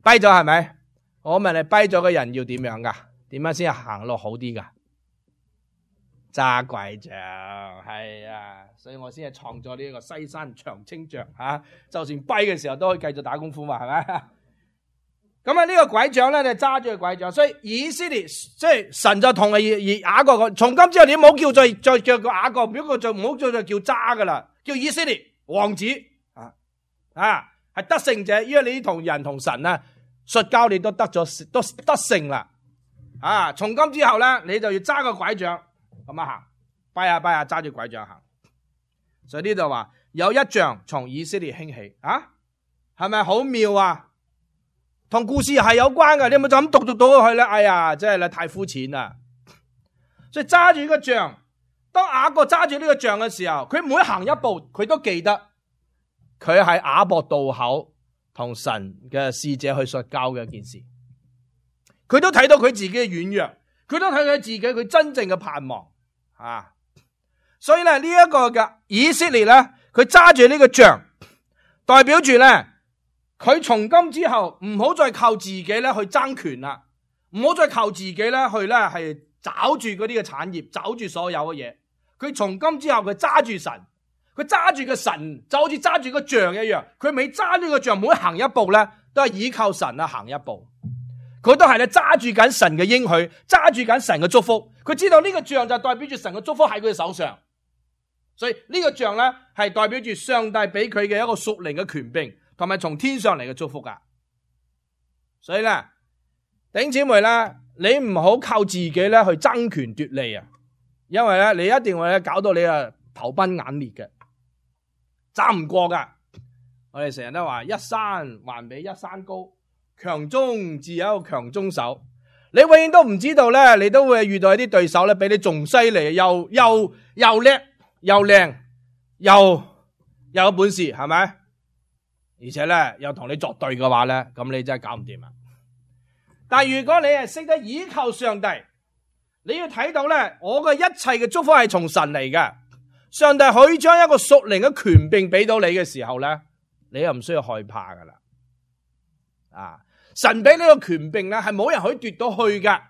B: 跛咗係咪？我問你，跛咗嘅人要點樣噶？點樣先行路好啲噶？揸拐杖，係啊，所以我先係創咗呢個西山長青杖啊，就算跛嘅時候都可以繼續打功夫嘛，係咪？咁啊，呢個拐杖咧，你揸住個拐杖，所以以色列即係神就同以雅各講，從今之後你唔好叫再再叫個雅各，不過就唔好再叫渣噶啦，叫以色列王子啊啊，係得勝者，因為你同人同神啊摔跤，你都得咗都得勝啦啊！從今之後咧，你就要揸個拐杖咁樣行，拜下拜下揸住拐杖行。所以呢度話有一杖從以色列興起啊，係咪好妙啊？同故事係有關嘅，你有冇就咁讀讀到去咧？哎呀，真係咧太膚淺啦！所以揸住呢個杖，當雅各揸住呢個杖嘅時候，佢每行一步，佢都記得佢喺雅博渡口同神嘅使者去摔跤嘅一件事。佢都睇到佢自己嘅軟弱，佢都睇到自己佢真正嘅盼望啊！所以咧呢一個嘅以色列咧，佢揸住呢個杖，代表住咧。佢從今之後唔好再靠自己咧去爭權啦，唔好再靠自己咧去咧係找住嗰啲嘅產業，找住所有嘅嘢。佢從今之後佢揸住神，佢揸住個神就好似揸住個杖一樣。佢每揸呢個杖，每行一步咧都係依靠神啊行一步。佢都係咧揸住緊神嘅應許，揸住緊神嘅祝福。佢知道呢個杖就代表住神嘅祝福喺佢嘅手上，所以呢個杖咧係代表住上帝俾佢嘅一個屬靈嘅權柄。同埋從天上嚟嘅祝福噶，所以咧，弟兄姊妹咧，你唔好靠自己咧去爭權奪利啊！因為咧，你一定會咧搞到你啊頭崩眼裂嘅，爭唔過噶。我哋成日都話一山還比一山高，強中自有一個強中手。你永遠都唔知道咧，你都會遇到一啲對手咧，比你仲犀利，又又又叻，又靚，又又有本事，係咪？而且咧又同你作對嘅話咧，咁你真係搞唔掂啊！但如果你係識得依靠上帝，你要睇到咧，我嘅一切嘅祝福係從神嚟嘅。上帝可以將一個屬靈嘅權柄俾到你嘅時候咧，你又唔需要害怕噶啦。啊，神俾呢個權柄咧，係冇人可以奪到去嘅，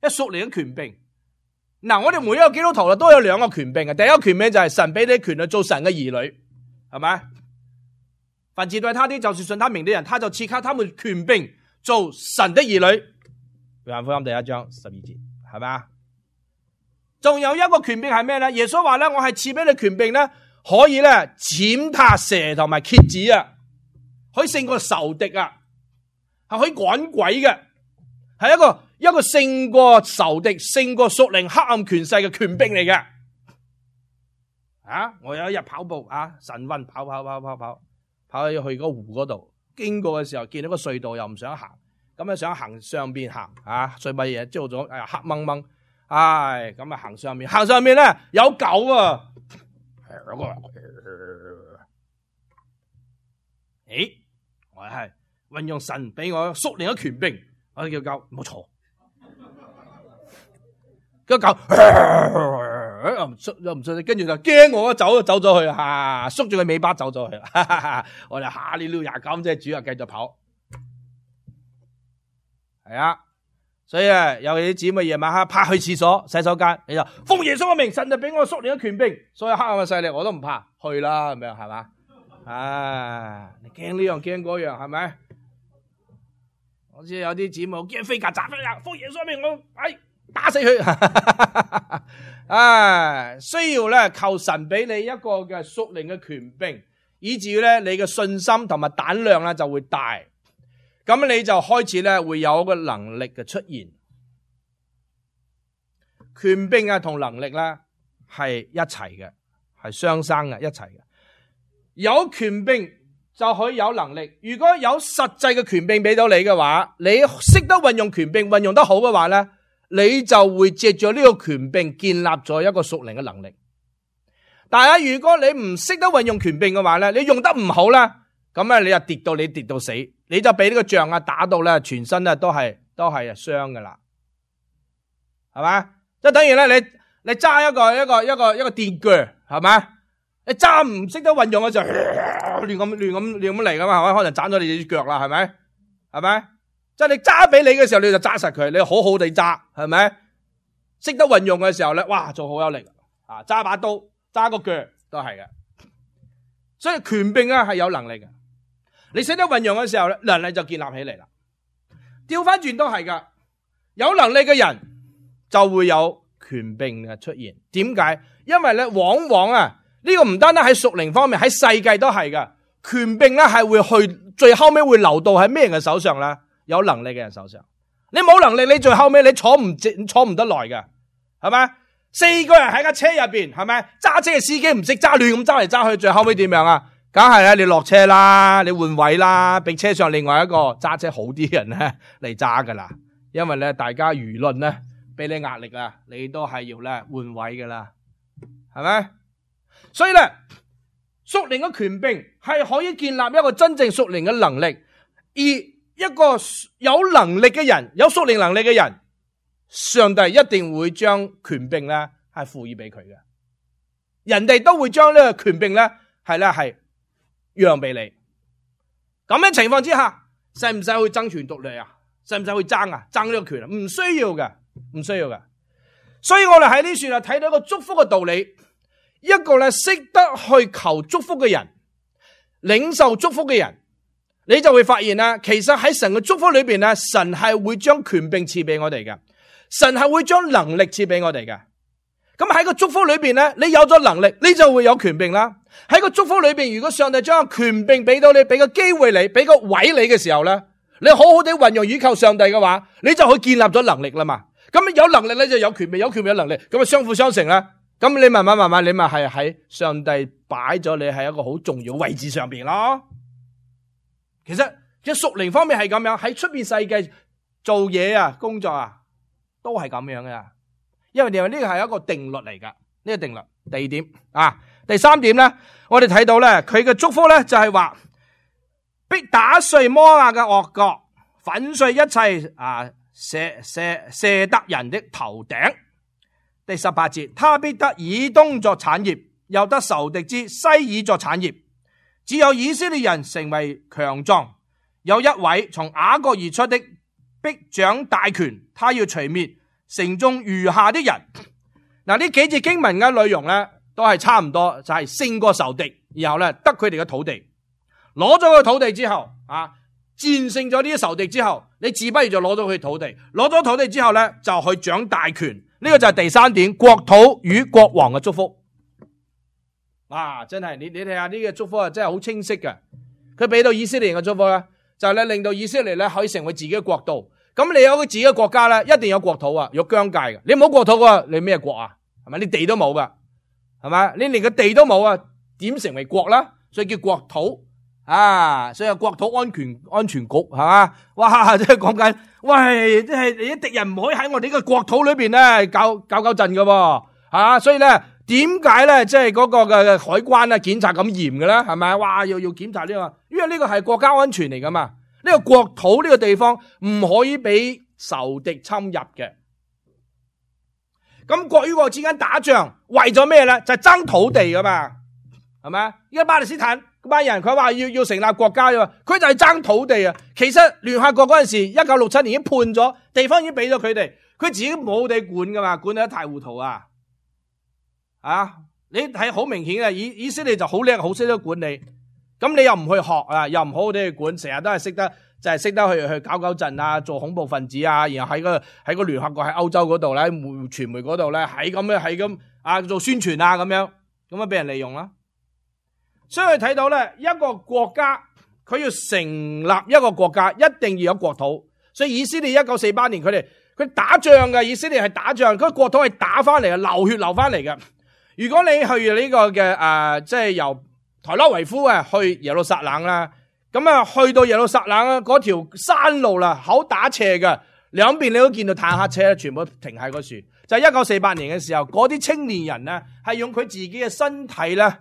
B: 一屬靈嘅權柄。嗱，我哋每一個基督徒都有兩個權柄嘅，第一個權柄就係神俾你權去做神嘅兒女，係咪？凡接待他的，就是信他名的人，他就賜給他們權柄做神的兒女。約翰福音第一章十二節，係咪啊？仲有一個權柄係咩咧？耶穌話咧，我係賜俾你權柄咧，可以咧踐踏蛇同埋蠍子啊，可以勝過仇敵啊，係可以趕鬼嘅，係一個一個勝過仇敵、勝過屬靈黑暗權勢嘅權柄嚟嘅。啊！我有一日跑步啊，神運跑跑跑跑跑。跑去去個湖嗰度，經過嘅時候見到個隧道又唔想行，咁啊想行上邊行啊，所以乜嘢朝早哎呀黑掹掹，唉咁啊行上面，行上面咧有狗啊，誒，我係運用神俾我屬靈嘅權柄，我叫狗唔好坐，個狗。又唔出又唔出，跟住就驚我走就走咗去啦，縮住佢尾巴走咗去啦。我哋哈利路亞咁即係主啊，繼續跑。係啊，所以啊，有啲姊妹夜晚黑趴去廁所洗手間，你就奉耶穌嘅名，神就俾我屬靈嘅權柄，所有黑暗嘅勢力我都唔怕，去啦咁樣係嘛？啊，你驚呢樣驚嗰樣係咪？好似有啲姊妹驚飛曱甴，飛啊，奉耶穌嘅名我哎打死佢。啊，需要咧求神俾你一個嘅屬靈嘅權柄，以至於咧你嘅信心同埋膽量咧就會大，咁你就開始咧會有一個能力嘅出現。權柄啊同能力咧係一齊嘅，係雙生嘅一齊嘅。有權柄就可以有能力，如果有實際嘅權柄俾到你嘅話，你識得運用權柄，運用得好嘅話咧，你就會借助呢個權柄建立咗一個屬靈嘅能力。但係如果你唔識得運用權柄嘅話咧，你用得唔好咧，咁咧你就跌到你跌到死，你就俾呢個杖啊打到咧全身咧都係都係傷噶啦，係嘛？即係等於咧你你揸一個一個一個一個電鋸，係嘛？你揸唔識得運用嘅時候，亂咁亂咁亂咁嚟噶嘛，係咪？可能斬咗你隻腳啦，係咪？係咪？即係你揸俾你嘅時候，你就揸實佢，你好好地揸，係咪？識得運用嘅時候咧，哇，就好有力啊！揸把刀、揸個鋸都係嘅。所以權柄啊係有能力嘅，你識得運用嘅時候咧，能力就建立起嚟啦。調翻轉都係噶，有能力嘅人就會有權柄嘅出現。點解？因為咧，往往啊呢個唔單單喺屬靈方面，喺世界都係噶。權柄咧係會去最後尾會流到喺咩人嘅手上咧？有能力嘅人手上。你冇能力，你最後尾你坐唔坐唔得耐嘅，係咪？四個人喺架車入邊，係咪？揸車嘅司機唔識揸，亂咁揸嚟揸去，最後尾點樣啊？梗係啦，你落車啦，你換位啦，俾車上另外一個揸車好啲人咧嚟揸噶啦。因為咧，大家輿論咧俾你壓力啊，你都係要咧換位噶啦，係咪？所以咧，屬靈嘅權柄係可以建立一個真正屬靈嘅能力，而一個有能力嘅人，有屬靈能力嘅人，上帝一定會將權柄咧係賦予俾佢嘅，人哋都會將呢個權柄咧係咧係讓俾你。咁樣情況之下，使唔使去爭權奪利啊？使唔使去爭啊？爭呢個權啊？唔需要嘅，唔需要嘅。所以我哋喺呢處啊睇到一個祝福嘅道理，一個咧識得去求祝福嘅人，領受祝福嘅人，你就會發現啦，其實喺神嘅祝福裏邊咧，神係會將權柄賜俾我哋嘅。神係會將能力賜俾我哋嘅，咁喺個祝福裏邊咧，你有咗能力，你就會有權柄啦。喺個祝福裏邊，如果上帝將個權柄俾到你，俾個機會你，俾個位你嘅時候咧，你好好地運用倚靠上帝嘅話，你就去建立咗能力啦嘛。咁有能力咧就有權柄，有權柄有能力，咁啊相輔相成啦。咁你慢慢慢慢，你咪係喺上帝擺咗你喺一個好重要位置上邊咯。其實即係屬靈方面係咁樣，喺出邊世界做嘢啊，工作啊。都係咁樣嘅，因為呢個係一個定律嚟噶，呢個定律。第二點啊，第三點咧，我哋睇到咧，佢嘅祝福咧就係話，必打碎摩押嘅惡角，粉碎一切啊舍舍舍得人的頭頂。第十八節，他必得以東作產業，又得仇敵之西珥作產業。只有以色列人成為強壯，有一位從雅各而出的。必掌大權，他要除滅城中餘下的人。嗱，呢幾節經文嘅內容咧，都係差唔多，就係勝過仇敵，然後咧得佢哋嘅土地，攞咗個土地之後啊，戰勝咗呢啲仇敵之後，你自不如就攞咗佢土地，攞咗土地之後咧就去掌大權。呢個就係第三點，國土與國王嘅祝福。啊，真係你你睇下呢個祝福啊，真係好清晰嘅。佢俾到以色列人嘅祝福咧，就係咧令到以色列咧可以成為自己嘅國度。咁你有個自己嘅國家咧，一定有國土啊，有疆界嘅。你冇國土嘅話，你咩國啊？係咪？你地都冇噶，係咪？你連個地都冇啊，點成為國啦？所以叫國土啊，所以國土安全安全局係嘛？哇，即係講緊，喂，即係你啲敵人唔可以喺我哋呢個國土裏邊咧搞搞搞震噶喎，啊，所以咧點解咧即係嗰個嘅海關啊檢查咁嚴嘅咧？係咪？哇，要要檢查呢個，因為呢個係國家安全嚟噶嘛。呢個國土呢個地方唔可以俾仇敵侵入嘅。咁國與國之間打仗為咗咩咧？就係爭土地噶嘛，係咪？而家巴勒斯坦嗰班人佢話要要成立國家嘅，佢就係爭土地啊。其實聯合國嗰陣時一九六七年已經判咗地方已經俾咗佢哋，佢自己冇地管噶嘛，管得一塌糊塗啊！啊，你睇好明顯啊，以以色列就好叻，好識得管理。咁你又唔去學啊，又唔好好地去管，成日都係識得就係識得去去搞搞震啊，做恐怖分子啊，然後喺個喺個聯合國喺歐洲嗰度咧，傳媒嗰度咧，係咁樣係咁啊做宣傳啊咁樣，咁樣俾人利用啦。所以睇到咧，一個國家佢要成立一個國家，一定要有國土。所以以色列一九四八年佢哋佢打仗嘅，以色列係打仗，佢個國土係打翻嚟嘅，流血流翻嚟嘅。如果你去呢個嘅誒，即係由台拉維夫啊，去耶路撒冷啦，咁啊去到耶路撒冷啊，嗰條山路啦，好打斜嘅，兩邊你都見到坦克車全部停喺嗰處。就係一九四八年嘅時候，嗰啲青年人咧係用佢自己嘅身體咧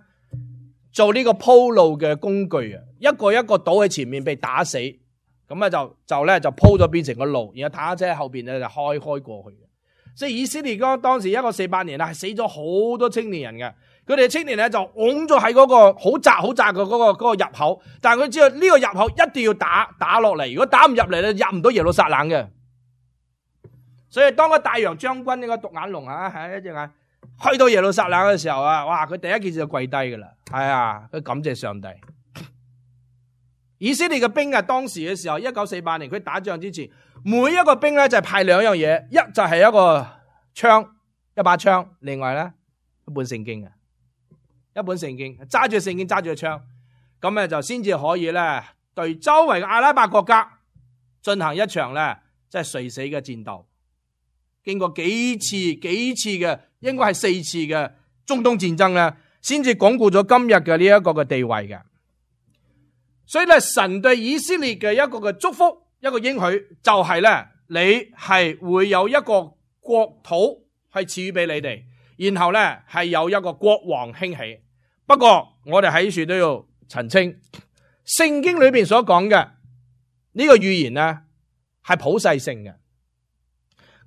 B: 做呢個鋪路嘅工具啊，一個一個倒喺前面被打死，咁啊就就咧就鋪咗變成個路，然後坦克車喺後邊咧就開開過去。所以以色列嗰當時一九四八年啦，係死咗好多青年人嘅。佢哋青年咧就拱咗喺嗰個好窄好窄嘅嗰個嗰個入口，但係佢知道呢個入口一定要打打落嚟，如果打唔入嚟咧，入唔到耶路撒冷嘅。所以當個大洋將軍呢個獨眼龍啊，係一隻眼去到耶路撒冷嘅時候啊，哇！佢第一件事就跪低噶啦，係啊，佢感謝上帝。以色列嘅兵啊，當時嘅時候，一九四八年佢打仗之前，每一個兵咧就係派兩樣嘢，一就係一個槍，一把槍，另外咧一本聖經啊，一本聖經，揸住聖經，揸住個槍，咁咧就先至可以咧對周圍嘅阿拉伯國家進行一場咧即係垂死嘅戰鬥。經過幾次幾次嘅，應該係四次嘅中東戰爭咧，先至鞏固咗今日嘅呢一個嘅地位嘅。所以咧，神對以色列嘅一個嘅祝福，一個應許，就係咧，你係會有一個國土係賜予俾你哋，然後咧係有一個國王興起。不過我哋喺處都要澄清，聖經裏邊所講嘅呢個預言咧係普世性嘅。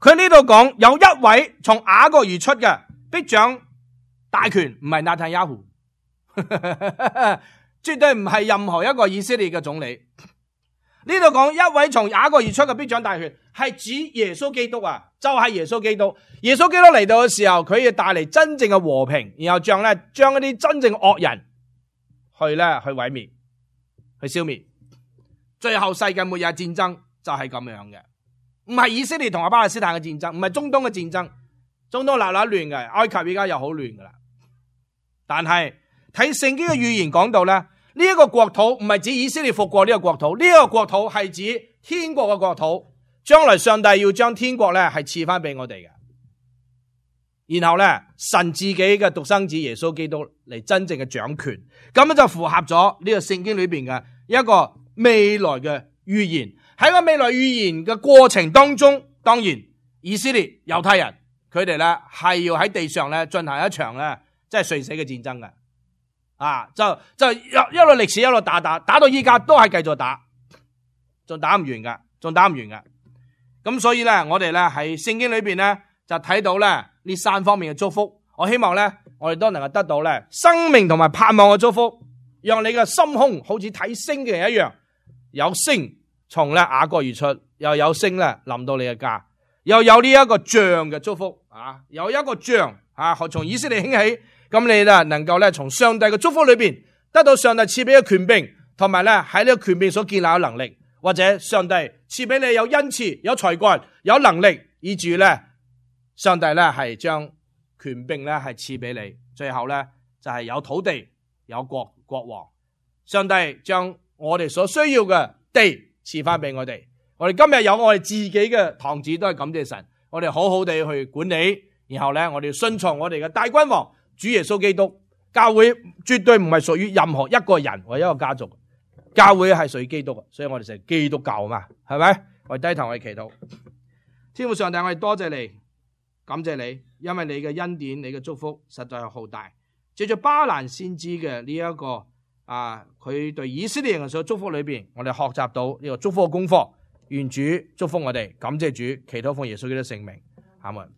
B: 佢呢度講有一位從雅各而出嘅，必掌大權，唔係納坦雅胡。絕對唔係任何一個以色列嘅總理。呢度講一位從雅各而出嘅必掌大權，係指耶穌基督啊，就係耶穌基督。耶穌基督嚟到嘅時候，佢要帶嚟真正嘅和平，然後將咧將一啲真正惡人去咧去毀滅，去消滅。最後世界末日戰爭就係咁樣嘅，唔係以色列同阿巴勒斯坦嘅戰爭，唔係中東嘅戰爭。中東鬧鬧亂嘅，埃及而家又好亂噶啦。但係睇聖經嘅預言講到咧，呢一個國土唔係指以色列復國呢個國土，呢一個國土係指天國嘅國土，將來上帝要將天國咧係賜翻俾我哋嘅。然後咧，神自己嘅獨生子耶穌基督嚟真正嘅掌權，咁樣就符合咗呢個聖經裏邊嘅一個未來嘅預言。喺個未來預言嘅過程當中，當然以色列猶太人佢哋咧係要喺地上咧進行一場咧即係垂死嘅戰爭嘅。啊，就就一一路歷史一路打打打到依家都係繼續打，仲打唔完噶，仲打唔完噶。咁所以咧，我哋咧喺聖經裏邊咧就睇到咧呢三方面嘅祝福。我希望咧，我哋都能夠得到咧生命同埋盼望嘅祝福，讓你嘅心胸好似睇星嘅人一樣，有星從咧雅各而出，又有星咧臨到你嘅家，又有呢一個杖嘅祝福啊，有一個杖啊，從以色列興起。咁你咧能夠咧從上帝嘅祝福裏邊得到上帝賜俾嘅權柄，同埋咧喺呢個權柄所建立嘅能力，或者上帝賜俾你有恩賜、有才幹、有能力，以至咧上帝咧係將權柄咧係賜俾你。最後咧就係有土地、有國國王，上帝將我哋所需要嘅地賜翻俾我哋。我哋今日有我哋自己嘅堂子，都係感謝神。我哋好好地去管理，然後咧我哋要順從我哋嘅大君王。主耶穌基督，教會絕對唔係屬於任何一個人或一個家族，教會係屬於基督嘅，所以我哋成基督教嘛，係咪？我哋低頭我哋祈禱，天父上帝，我哋多謝你，感謝你，因為你嘅恩典、你嘅祝福實在係浩大。借住巴蘭先知嘅呢一個啊，佢對以色列人所祝福裏邊，我哋學習到呢個祝福嘅功課。願主祝福我哋，感謝主，祈禱奉耶穌基督聖名，阿門。